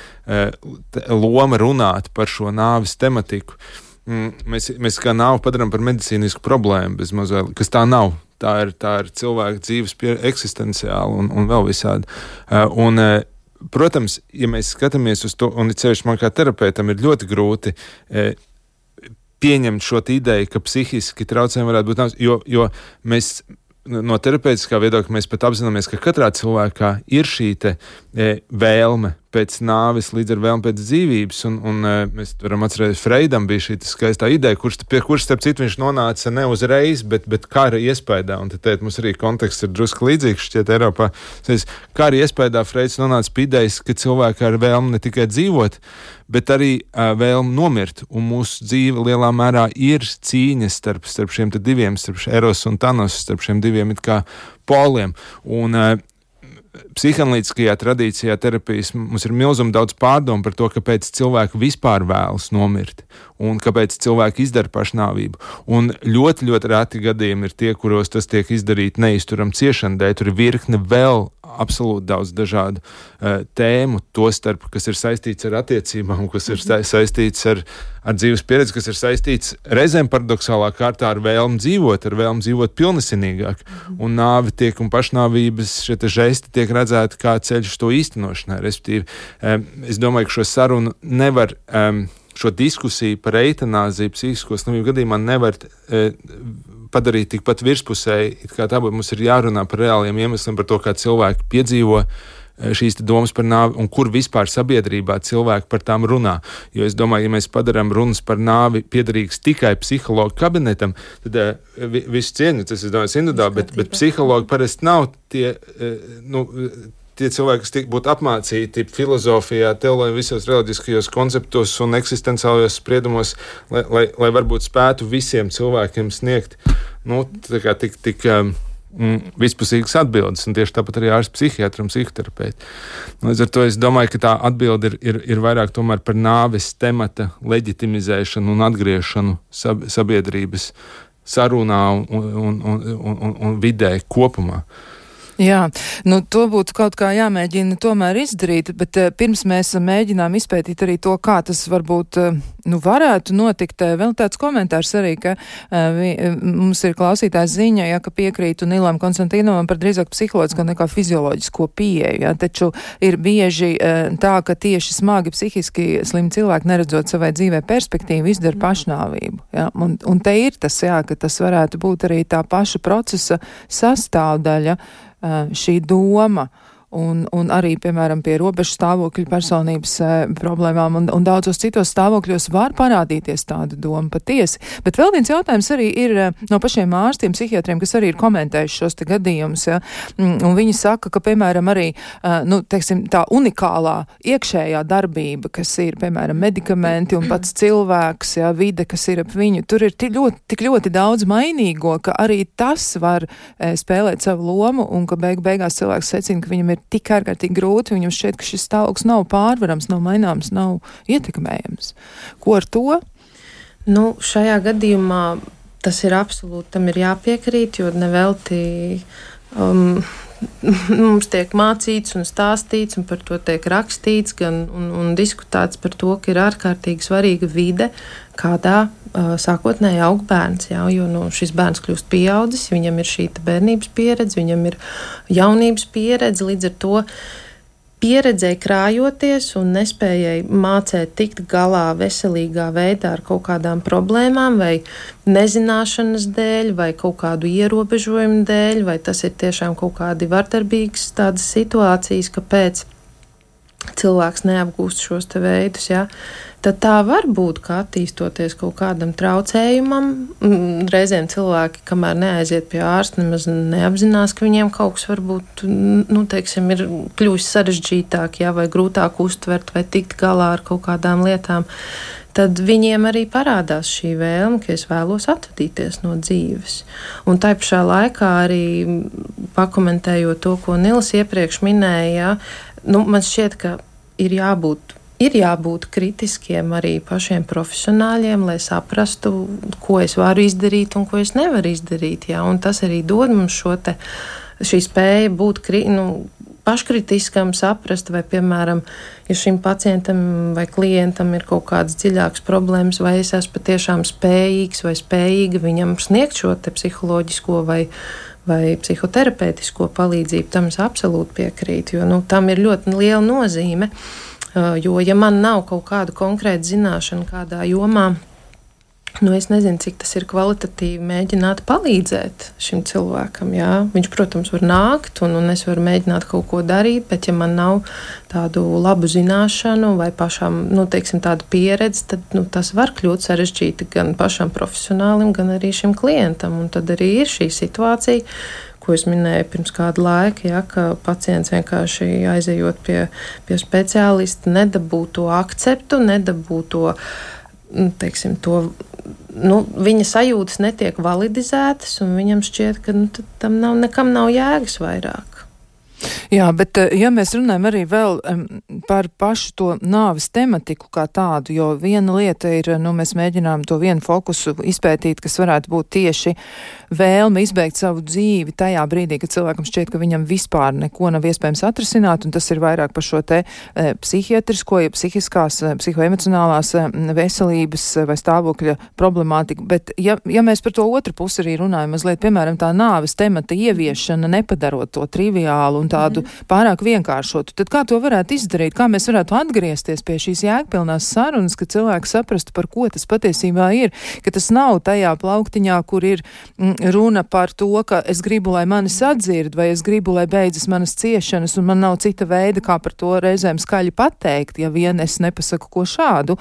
loma runāt par šo nāvis tematiku. Mēs, mēs kā nāvi padaram par medicīnisku problēmu, bez mazliet, kas tā nav. Tā ir, tā ir cilvēka dzīves pie, eksistenciāla un, un vēl visādi. Un, protams, ja mēs skatāmies uz to, un ceļš man kā terapeitam ir ļoti grūti e, pieņemt šo ideju, ka psihiski traucējumi varētu būt nāves, jo, jo mēs no terapeitiskā viedokļa mēs pat apzināmies, ka katrā cilvēkā ir šī te e, vēlme pēc nāves, līdz ar vēlmi pēc dzīvības, un, un mēs varam atcerēties, Freidam bija šī skaistā ideja, kurš, pie kuras, starp citu, viņš nonāca ne uzreiz, bet, bet kara iespējā, un te teikt, mums arī konteksts ir drusku līdzīgs šķiet Eiropā. Kara iespējā Freids nonāca pie idejas, ka cilvēki ar vēlmi ne tikai dzīvot, bet arī uh, vēlmi nomirt, un mūsu dzīve lielā mērā ir cīņas starp, starp šiem te diviem, starp Eros un Thanos, starp šiem diviem it kā poliem, un uh, psihanalītiskajā tradīcijā terapijas mums ir milzuma daudz pārdomu par to, kāpēc cilvēki vispār vēlas nomirt un kāpēc cilvēki izdara pašnāvību. Un ļoti, ļoti reti gadījumi ir tie, kuros tas tiek izdarīt neizturam ciešanu dēļ. Tur ir virkne vēl absolūti daudz dažādu uh, tēmu, to starp, kas ir saistīts ar attiecībām, kas ir saistīts ar, ar dzīves pieredzi, kas ir saistīts reizēm paradoxālā kārtā ar vēlmu dzīvot, ar vēlmu dzīvot pilnesinīgāk. Un nāve tiek un pašnāvības šie te žesti tiek redzēti kā ceļš to īstenošanai. Respektīvi, um, es domāju, ka šo sarunu nevar, um, šo diskusiju par eitanāziju psihisko slimību gadījumā nevar e, padarīt tikpat virspusēji, it kā tā būtu, mums ir jārunā par reāliem iemesliem, par to, kā cilvēki piedzīvo šīs domas par nāvi un kur vispār sabiedrībā cilvēki par tām runā. Jo es domāju, ja mēs padarām runas par nāvi piederīgas tikai psihologu kabinetam, tad uh, vi, visu cieņu, tas es domāju, individuāli, bet, bet psihologi parasti nav tie, uh, nu, tie cilvēki, kas būtu apmācīti filozofijā, teoloģijā, visos reliģiskajos konceptos un eksistenciālajos spriedumos, lai, lai, lai varbūt spētu visiem cilvēkiem sniegt, nu, tā kā tik, tik um, vispusīgas atbildes, un tieši tāpat arī ārsts psihiatri un psihoterapeiti. Līdz ar to es domāju, ka tā atbilde ir, ir, ir vairāk tomēr par nāves temata leģitimizēšanu un atgriešanu sab, sabiedrības sarunā un, un, un, un, un, un vidē kopumā. Jā, nu to būtu kaut kā jāmēģina tomēr izdarīt, bet uh, pirms mēs mēģinām izpētīt arī to, kā tas varbūt uh, nu, varētu notikt vēl tāds komentārs arī, ka uh, vi, mums ir klausītājs ziņa, ja, ka piekrītu Nilam Konstantīnovam par drīzāk psiholoģisko nekā fizioloģisko pieeju, ja, taču ir bieži uh, tā, ka tieši smagi psihiski slimi cilvēki, neredzot savai dzīvē perspektīvu, izdara pašnāvību, ja, un, un te ir tas, jā, ka tas varētu būt arī tā paša procesa sastāvdaļa, uh, šī doma. Un, un arī, piemēram, pie robežu stāvokļu personības e, problēmām un, un daudzos citos stāvokļos var parādīties tāda doma patiesi. Bet vēl viens jautājums arī ir e, no pašiem ārstiem, psihiatriem, kas arī ir komentējuši šos te gadījumus, ja, un viņi saka, ka, piemēram, arī, e, nu, teiksim, tā unikālā iekšējā darbība, kas ir, piemēram, medikamenti un pats cilvēks, ja, vide, kas ir ap viņu, tur ir tik ļoti, tik ļoti daudz mainīgo, ka arī tas var e, spēlēt savu lomu un ka beig beigās cilvēks secina, ka viņam ir tik ārkārtīgi grūti, viņam šķiet, ka šis stāvoklis nav pārvarams, nav maināms, nav ietekmējams. Ko ar to? Nu, šajā gadījumā tas ir absolūti, tam ir jāpiekrīt, jo nevelti um, mums tiek mācīts un stāstīts, un par to tiek rakstīts, gan, un, un diskutēts par to, ka ir ārkārtīgi svarīga vide, kādā uh, sākotnēji aug bērns, jā, jo nu, šis bērns kļūst pieaudzis, viņam ir šī bērnības pieredze, viņam ir jaunības pieredze, līdz ar to pieredzēja krājoties un nespējai mācēt tikt galā veselīgā veidā ar kaut kādām problēmām vai nezināšanas dēļ vai kaut kādu ierobežojumu dēļ, vai tas ir tiešām kaut kādi vardarbīgas tādas situācijas, kāpēc cilvēks neapgūst šos te veidus, ja, tad tā var būt, ka attīstoties kaut kādam traucējumam, reizēm cilvēki, kamēr neaiziet pie ārsta, nemaz neapzinās, ka viņiem kaut kas varbūt, nu, teiksim, ir kļuvis sarežģītāk, ja, vai grūtāk uztvert, vai tikt galā ar kaut kādām lietām, tad viņiem arī parādās šī vēlme, ka es vēlos atvadīties no dzīves. Un tai pašā laikā arī pakomentējot to, ko Nils iepriekš minēja, nu, man šķiet, ka ir jābūt, ir jābūt kritiskiem arī pašiem profesionāļiem, lai saprastu, ko es varu izdarīt un ko es nevaru izdarīt. Jā. Un tas arī dod mums šo te, šī spēja būt kri, nu, paškritiskam, saprast, vai, piemēram, ja šim pacientam vai klientam ir kaut kādas dziļākas problēmas, vai es esmu patiešām spējīgs vai spējīga viņam sniegt šo te psiholoģisko vai vai psihoterapeitisko palīdzību, tam es absolūti piekrītu, jo nu, tam ir ļoti liela nozīme, jo ja man nav kaut kāda konkrēta zināšana kādā jomā, nu es nezinu, cik tas ir kvalitatīvi mēģināt palīdzēt šim cilvēkam, jā. Viņš, protams, var nākt un, un es varu mēģināt kaut ko darīt, bet ja man nav tādu labu zināšanu vai pašām, nu, teiksim, tādu pieredzi, tad, nu, tas var kļūt sarežģīti gan pašam profesionālim, gan arī šim klientam, un tad arī ir šī situācija, ko es minēju pirms kāda laika, ja, ka pacients vienkārši aizejot pie, pie speciālista nedabū to akceptu, nedabū to, teiksim, to, nu, viņa sajūtas netiek validizētas, un viņam šķiet, ka nu, tam nav, nekam nav jēgas vairāk. Jā, bet ja mēs runājam arī vēl um, par pašu to nāves tematiku kā tādu, jo viena lieta ir, nu, mēs mēģinām to vienu fokusu izpētīt, kas varētu būt tieši vēlme izbeigt savu dzīvi tajā brīdī, kad cilvēkam šķiet, ka viņam vispār neko nav iespējams atrisināt, un tas ir vairāk par šo te e, psihiatrisko, ja psihiskās, psihoemocionālās e, veselības vai stāvokļa problemātiku, bet ja, ja mēs par to otru pusi arī runājam, mazliet, piemēram, tā nāves temata ieviešana, nepadarot to triviālu un tādu pārāk vienkāršotu, tad kā to varētu izdarīt, kā mēs varētu atgriezties pie šīs jēgpilnās sarunas, ka cilvēks saprastu, par ko tas patiesībā ir, ka tas nav tajā plauktiņā, kur ir mm, runa par to, ka es gribu, lai mani sadzird, vai es gribu, lai beidzas manas ciešanas, un man nav cita veida, kā par to reizēm skaļi pateikt, ja vien es nepasaku ko šādu.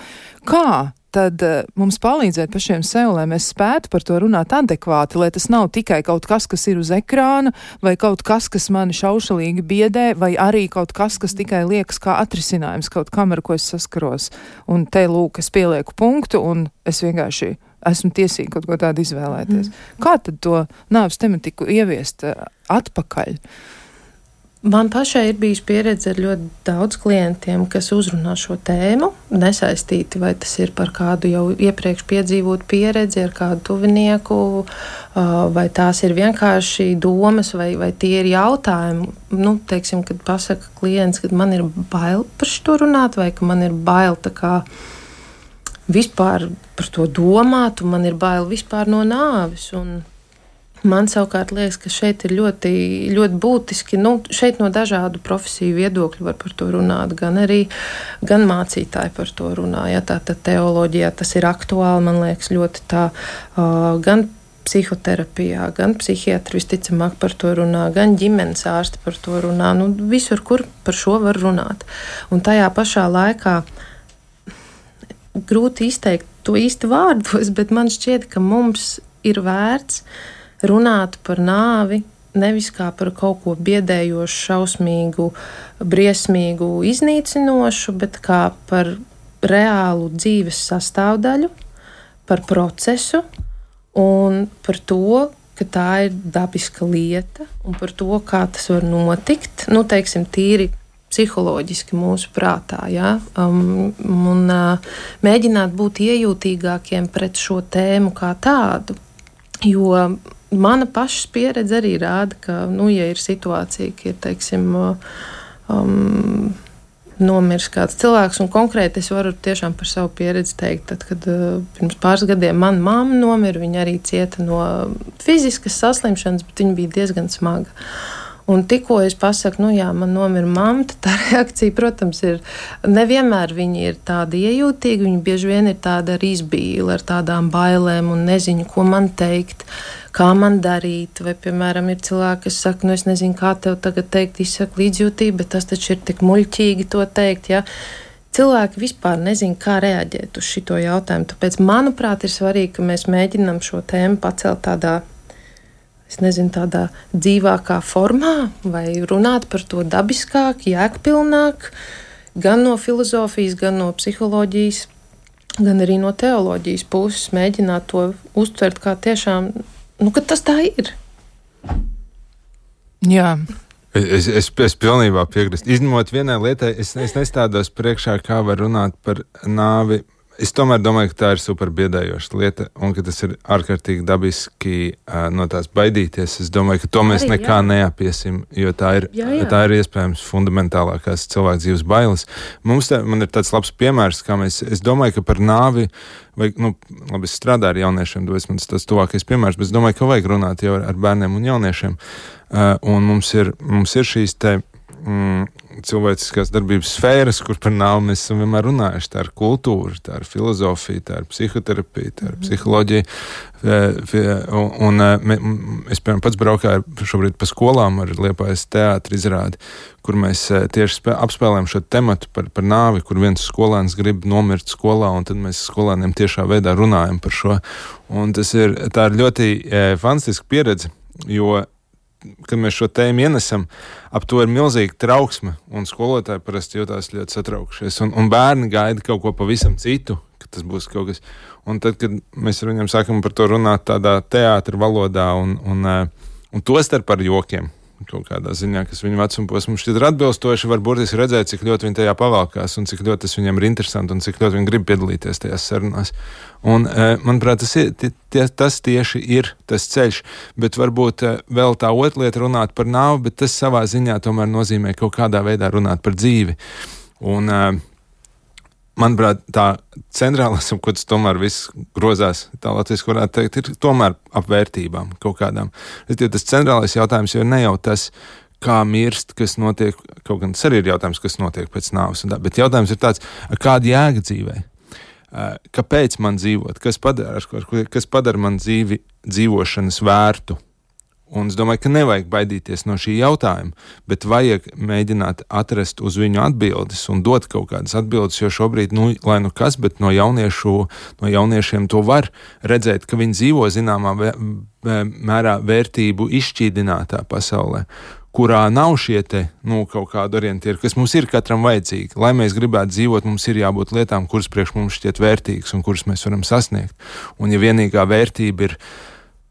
Kā tad uh, mums palīdzēt pašiem sev, lai mēs spētu par to runāt adekvāti, lai tas nav tikai kaut kas, kas ir uz ekrāna, vai kaut kas, kas mani šaušalīgi biedē, vai arī kaut kas, kas tikai liekas kā atrisinājums kaut kam, ar ko es saskaros. Un te lūk, es pielieku punktu, un es vienkārši esmu tiesīgi kaut ko tādu izvēlēties. Mm. Kā tad to nāves tematiku ieviest uh, atpakaļ? Man pašai ir bijusi pieredze ar ļoti daudz klientiem, kas uzrunā šo tēmu, nesaistīti, vai tas ir par kādu jau iepriekš piedzīvotu pieredzi ar kādu tuvinieku, vai tās ir vienkārši domas, vai, vai tie ir jautājumi. Nu, teiksim, kad pasaka klients, ka man ir bail par šo runāt, vai ka man ir bail tā kā vispār par to domāt, un man ir bail vispār no nāves. Un man savukārt liekas, ka šeit ir ļoti, ļoti būtiski, nu, šeit no dažādu profesiju viedokļu var par to runāt, gan arī gan mācītāji par to runā. Ja, tā tad teoloģijā tas ir aktuāli, man liekas, ļoti tā, uh, gan psihoterapijā, gan psihiatri visticamāk par to runā, gan ģimenes ārsti par to runā, nu, visur, kur par šo var runāt. Un tajā pašā laikā grūti izteikt to īsti vārdos, bet man šķiet, ka mums ir vērts runāt par nāvi nevis kā par kaut ko biedējošu, šausmīgu, briesmīgu, iznīcinošu, bet kā par reālu dzīves sastāvdaļu, par procesu un par to, ka tā ir dabiska lieta un par to, kā tas var notikt, nu, teiksim, tīri psiholoģiski mūsu prātā, ja? um, un uh, mēģināt būt iejūtīgākiem pret šo tēmu kā tādu, jo mana pašas pieredze arī rāda, ka, nu, ja ir situācija, ka ir, teiksim, um, nomirs kāds cilvēks, un konkrēti es varu tiešām par savu pieredzi teikt, tad, kad uh, pirms pāris gadiem mana mamma nomira, viņa arī cieta no fiziskas saslimšanas, bet viņa bija diezgan smaga. Un tikko es pasaku, nu jā, man nomira mamma, tad tā reakcija, protams, ir nevienmēr viņi ir tādi iejūtīgi, viņi bieži vien ir tāda ar izbīli, ar tādām bailēm un nezinu, ko man teikt, kā man darīt, vai, piemēram, ir cilvēki, kas saka, nu es nezinu, kā tev tagad teikt, izsaka līdzjūtību, bet tas taču ir tik muļķīgi to teikt, ja. Cilvēki vispār nezin, kā reaģēt uz šito jautājumu, tāpēc, manuprāt, ir svarīgi, ka mēs mēģinam šo tēmu pacelt tādā, es nezinu, tādā dzīvākā formā, vai runāt par to dabiskāk, jēgpilnāk, gan no filozofijas, gan no psiholoģijas, gan arī no teoloģijas puses mēģināt to uztvert kā tiešām, nu, ka tas tā ir. Jā. Es, es, es pilnībā piekrītu. Izņemot vienai lietai, es, es nestādos priekšā, kā var runāt par nāvi. Es tomēr domāju, ka tā ir super biedējoša lieta un ka tas ir ārkārtīgi dabiski uh, no tās baidīties. Es domāju, ka to mēs arī, nekā jā. neapiesim, jo tā ir, jā, jā. tā ir iespējams fundamentālākās cilvēku dzīves bailes. Mums te, man ir tāds labs piemērs, kā mēs, es domāju, ka par nāvi, vai, nu, labi, es strādāju ar jauniešiem, tas ir tas tuvākais piemērs, bet es domāju, ka vajag runāt jau ar, ar bērniem un jauniešiem. Uh, un mums ir, mums ir šīs te mm, cilvēciskās darbības sfēras, kur par nāvi mēs esam vienmēr runājuši. Tā ir kultūra, tā ir filozofija, tā ir psihoterapija, tā ir psiholoģija. Un, un es, piemēram, pats braukāju šobrīd pa skolām ar Liepājas teātra izrādi, kur mēs tieši spē, apspēlējam šo tematu par, par nāvi, kur viens skolēns grib nomirt skolā, un tad mēs skolēniem tiešā veidā runājam par šo. Un tas ir, tā ir ļoti e, fantastiska pieredze, jo kad mēs šo tēmu ienesam, ap to ir milzīga trauksme, un skolotāji parasti jūtās ļoti satraukšies, un, un bērni gaida kaut ko pavisam citu, ka tas būs kaut kas. Un tad, kad mēs ar viņiem sākam par to runāt tādā teātra valodā, un, un, un to starp ar jokiem, kaut kādā ziņā, kas viņu vecuma posmu šķiet ir atbilstoši, var burtiski redzēt, cik ļoti viņi tajā pavalkās, un cik ļoti tas viņiem ir interesanti, un cik ļoti viņi grib piedalīties tajās sarunās. Un, manuprāt, tas, ir, tie, tas tieši ir tas ceļš, bet varbūt vēl tā otra lieta runāt par nāvi, bet tas savā ziņā tomēr nozīmē kaut kādā veidā runāt par dzīvi. Un, manuprāt, tā centrālās, ap ko tas tomēr viss grozās, tā latviski varētu teikt, ir tomēr ap vērtībām kaut kādām. Tas centrālais jautājums jau ne jau tas, kā mirst, kas notiek, kaut gan tas arī ir jautājums, kas notiek pēc nāves, bet jautājums ir tāds, kāda jēga dzīvē? Kāpēc man dzīvot? Kas padara, kas padara man dzīvi dzīvošanas vērtu? Un es domāju, ka nevajag baidīties no šī jautājuma, bet vajag mēģināt atrast uz viņu atbildes un dot kaut kādas atbildes, jo šobrīd, nu, lai nu kas, bet no, jauniešu, no jauniešiem to var redzēt, ka viņi dzīvo zināmā mērā vērtību izšķīdinātā pasaulē, kurā nav šie te, nu, kaut kādi orientieri, kas mums ir katram vajadzīgi. Lai mēs gribētu dzīvot, mums ir jābūt lietām, kuras priekš mums šķiet vērtīgas un kuras mēs varam sasniegt. Un ja vienīgā vērtība ir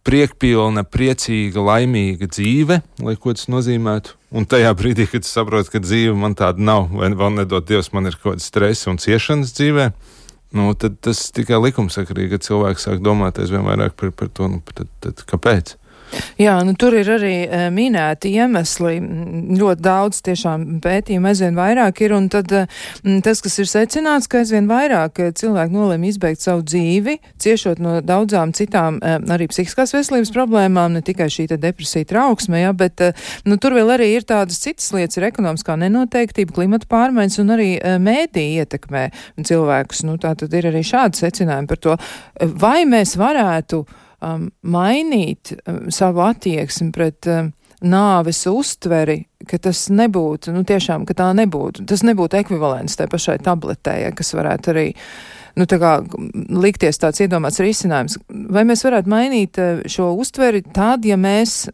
priekpilna, priecīga, laimīga dzīve, lai ko tas nozīmētu. Un tajā brīdī, kad es saprotu, ka dzīve man tāda nav, vai vēl nedod Dievs, man ir kaut kāds stress un ciešanas dzīvē, nu, tad tas tikai likumsakarīgi, kad cilvēks sāk domāt aizvien vairāk par, par to, nu, tad, tad kāpēc? Jā, nu tur ir arī e, minēti iemesli, ļoti daudz tiešām pētījumu aizvien vairāk ir, un tad m, tas, kas ir secināts, ka aizvien vairāk cilvēki nolēma izbeigt savu dzīvi, ciešot no daudzām citām e, arī psihiskās veselības problēmām, ne tikai šī te depresija trauksme, ja, bet e, nu, tur vēl arī ir tādas citas lietas, ir ekonomiskā nenoteiktība, klimata pārmaiņas un arī e, mēdī ietekmē cilvēkus. Nu, tā tad ir arī šādi secinājumi par to, vai mēs varētu Um, mainīt um, savu attieksmi pret um, nāves uztveri, ka tas nebūtu, nu tiešām, ka tā nebūtu, tas nebūtu ekvivalents tai pašai tabletē, ja, kas varētu arī, nu tā kā likties tāds iedomāts risinājums. Vai mēs varētu mainīt uh, šo uztveri tad, ja mēs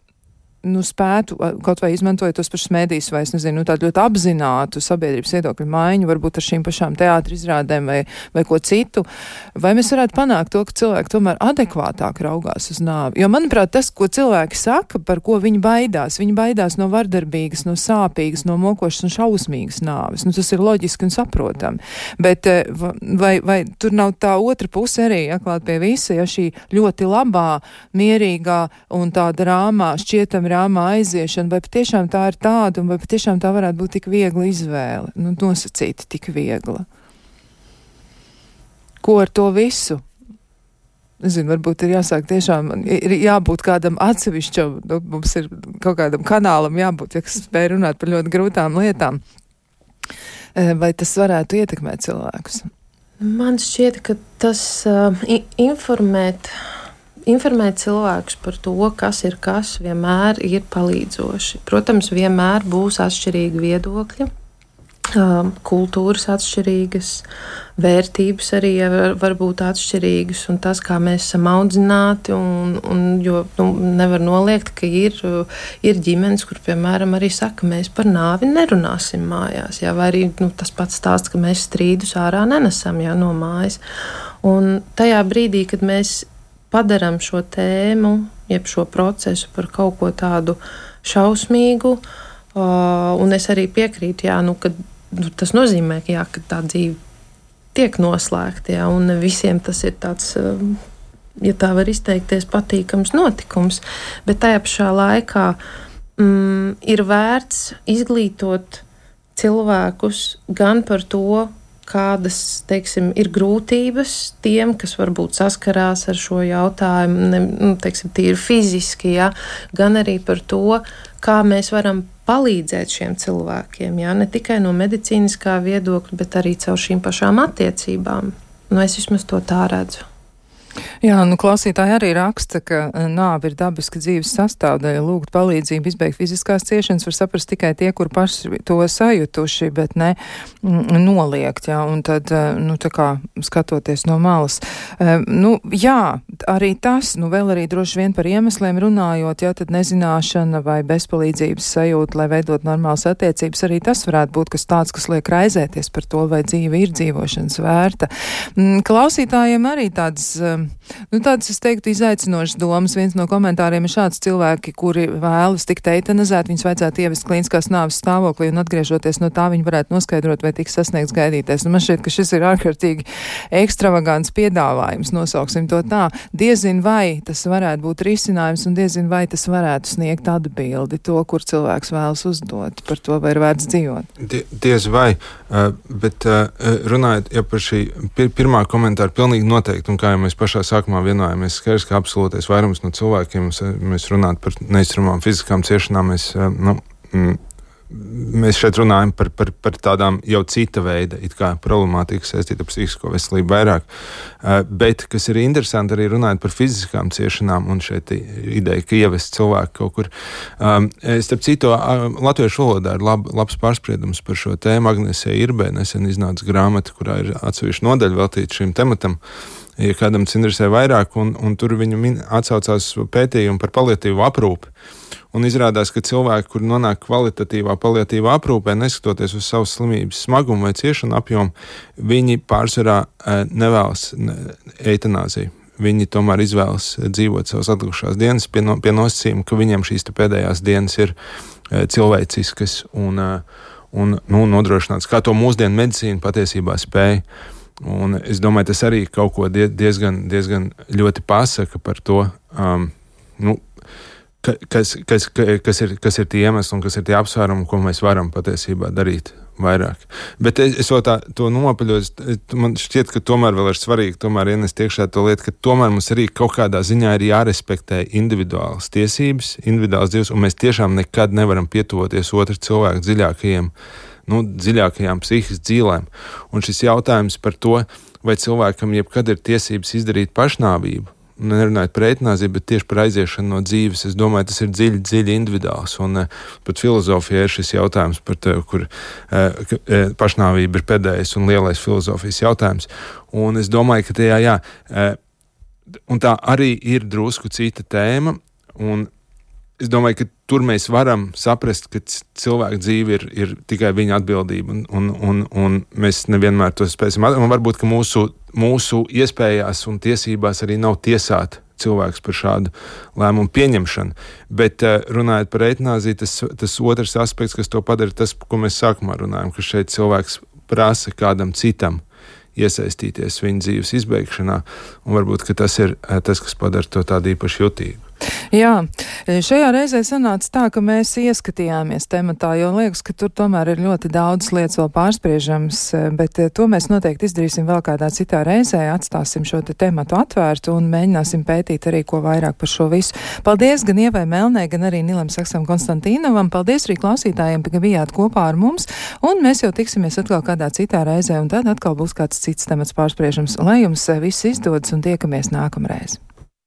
nu, spētu, kaut vai izmantojot tos pašus mēdījus, vai es nezinu, nu, tādu ļoti apzinātu sabiedrības viedokļu maiņu, varbūt ar šīm pašām teātra izrādēm vai, vai ko citu, vai mēs varētu panākt to, ka cilvēki tomēr adekvātāk raugās uz nāvi. Jo, manuprāt, tas, ko cilvēki saka, par ko viņi baidās, viņi baidās no vardarbīgas, no sāpīgas, no mokošas un šausmīgas nāves. Nu, tas ir loģiski un saprotami. Bet vai, vai tur nav tā otra puse arī, ja, klāt pie visa, ja šī ļoti labā, mierīgā un tāda rāmā, šķietami rāmā aiziešana, vai patiešām tā ir tāda, un vai patiešām tā varētu būt tik viegla izvēle, nu, nosacīti tik viegla. Ko ar to visu? Es zinu, varbūt ir jāsāk tiešām, ir jābūt kādam atsevišķam, nu, mums ir kaut kādam kanālam jābūt, ja kas spēj runāt par ļoti grūtām lietām. Vai tas varētu ietekmēt cilvēkus? Man šķiet, ka tas uh, informēt Informēt cilvēkus par to, kas ir kas, vienmēr ir palīdzoši. Protams, vienmēr būs atšķirīgi viedokļi, kultūras atšķirīgas, vērtības arī var, var būt atšķirīgas, un tas, kā mēs esam audzināti, un, un, jo nu, nevar noliegt, ka ir, ir ģimenes, kur, piemēram, arī saka, mēs par nāvi nerunāsim mājās, jā, vai arī nu, tas pats stāsts, ka mēs strīdus ārā nenesam jā, no mājas. Un tajā brīdī, kad mēs padaram šo tēmu, jeb šo procesu par kaut ko tādu šausmīgu, uh, un es arī piekrītu, jā, nu, ka nu, tas nozīmē, ka, jā, ka tā dzīve tiek noslēgta, jā, un visiem tas ir tāds, uh, ja tā var izteikties, patīkams notikums, bet tajā pašā laikā mm, ir vērts izglītot cilvēkus gan par to, kādas, teiksim, ir grūtības tiem, kas varbūt saskarās ar šo jautājumu, ne, nu, teiksim, tīri fiziski, ja, gan arī par to, kā mēs varam palīdzēt šiem cilvēkiem, ja, ne tikai no medicīniskā viedokļa, bet arī caur šīm pašām attiecībām. Nu, es vismaz to tā redzu. Jā, nu klausītāji arī raksta, ka nāve ir dabiska dzīves sastāvdaļa, lūgt palīdzību, izbeigt fiziskās ciešanas var saprast tikai tie, kur paši to sajutuši, bet ne mm, noliegt, jā, un tad, nu tā kā skatoties no malas. Nu, jā, arī tas, nu vēl arī droši vien par iemesliem runājot, jā, tad nezināšana vai bezpalīdzības sajūta, lai veidot normālas attiecības, arī tas varētu būt kas tāds, kas liek raizēties par to, vai dzīve ir dzīvošanas vērta. Klausītājiem arī tādas Nu, tādas, es teiktu, izaicinošas domas. Viens no komentāriem ir šāds: cilvēki, kuri vēlas tikt eitanizēt, viņus vajadzētu ievest klīniskās nāves stāvoklī, un atgriežoties no tā, viņi varētu noskaidrot, vai tiks sasniegts gaidītais. Nu, man šķiet, ka šis ir ārkārtīgi ekstravagants piedāvājums, nosauksim to tā. Diezin vai tas varētu būt risinājums, un diezin vai tas varētu sniegt atbildi to, kur cilvēks vēlas uzdot par to, vai ir vērts dzīvot. Die, diez vai, uh, bet uh, runājot ja par šī pir pirmā komentāra, pilnīgi noteikti, un kā jau mēs pašā sākumā vienojāmies, skaidrs, ka absolūtais vairums no cilvēkiem, mēs runājam par neizturmām fiziskām ciešanām, mēs, nu, mēs šeit runājam par, par, par tādām jau cita veida, it kā problemātika saistīta ar psihisko veselību vairāk, bet, kas ir interesanti arī runājot par fiziskām ciešanām, un šeit ideja, ka ievest cilvēku kaut kur. Starp citu, latviešu valodā ir lab, labs pārspriedums par šo tēmu. Agnesē Irbē nesen iznāca grāmata, kurā ir atsevišķa nodaļa veltīta šim tematam, ja kādam tas interesē vairāk, un, un tur viņu min, atsaucās pētījumu par paliatīvu aprūpi. Un izrādās, ka cilvēki, kuri nonāk kvalitatīvā paliatīvā aprūpē, neskatoties uz savas slimības smagumu vai ciešanu apjomu, viņi pārsvarā nevēlas eitanāziju. Viņi tomēr izvēlas dzīvot savas atlikušās dienas pie, no, pie nosacījuma, ka viņiem šīs pēdējās dienas ir cilvēciskas un, un nu, nodrošināts, kā to mūsdienu medicīna patiesībā spēja. Un es domāju, tas arī kaut ko diezgan, diezgan ļoti pasaka par to, um, nu, ka, kas, kas, kas, ir, kas ir tie iemesli un kas ir tie apsvērumi, ko mēs varam patiesībā darīt vairāk. Bet es, es vēl tā to nopaļoju, man šķiet, ka tomēr vēl ir svarīgi tomēr ienest iekšā to lietu, ka tomēr mums arī kaut kādā ziņā ir jārespektē individuālas tiesības, individuāls dzīves, un mēs tiešām nekad nevaram pietuvoties otru cilvēku dziļākajiem, nu, dziļākajām psihiskas dzīvēm. Un šis jautājums par to, vai cilvēkam jebkad ir tiesības izdarīt pašnāvību, nerunājot par eitanāziju, bet tieši par aiziešanu no dzīves, es domāju, tas ir dziļi, dziļi individuāls. Un uh, pat filozofijā ir šis jautājums par to, kur uh, pašnāvība ir pēdējais un lielais filozofijas jautājums. Un es domāju, ka tajā, jā, uh, un tā arī ir drusku cita tēma, un es domāju, ka tur mēs varam saprast, ka cilvēka dzīve ir, ir tikai viņa atbildība, un, un, un, un mēs nevienmēr to spēsim. Un varbūt, ka mūsu, mūsu iespējās un tiesībās arī nav tiesāt cilvēks par šādu lēmumu pieņemšanu. Bet runājot par eitanāziju, tas, tas otrs aspekts, kas to padara, tas, ko mēs sākumā runājam, ka šeit cilvēks prasa kādam citam iesaistīties viņa dzīves izbeigšanā, un varbūt, ka tas ir tas, kas padara to tādu īpaši jutīgu. Jā, šajā reizē sanāca tā, ka mēs ieskatījāmies tematā, jo liekas, ka tur tomēr ir ļoti daudz lietas vēl pārspriežams, bet to mēs noteikti izdarīsim vēl kādā citā reizē, atstāsim šo te tematu atvērtu un mēģināsim pētīt arī ko vairāk par šo visu. Paldies gan Ievai Melnē, gan arī Nilam Saksam Konstantīnovam, paldies arī klausītājiem, ka bijāt kopā ar mums, un mēs jau tiksimies atkal kādā citā reizē, un tad atkal būs kāds cits temats pārspriežams. Lai jums viss izdodas un tiekamies nākamreiz.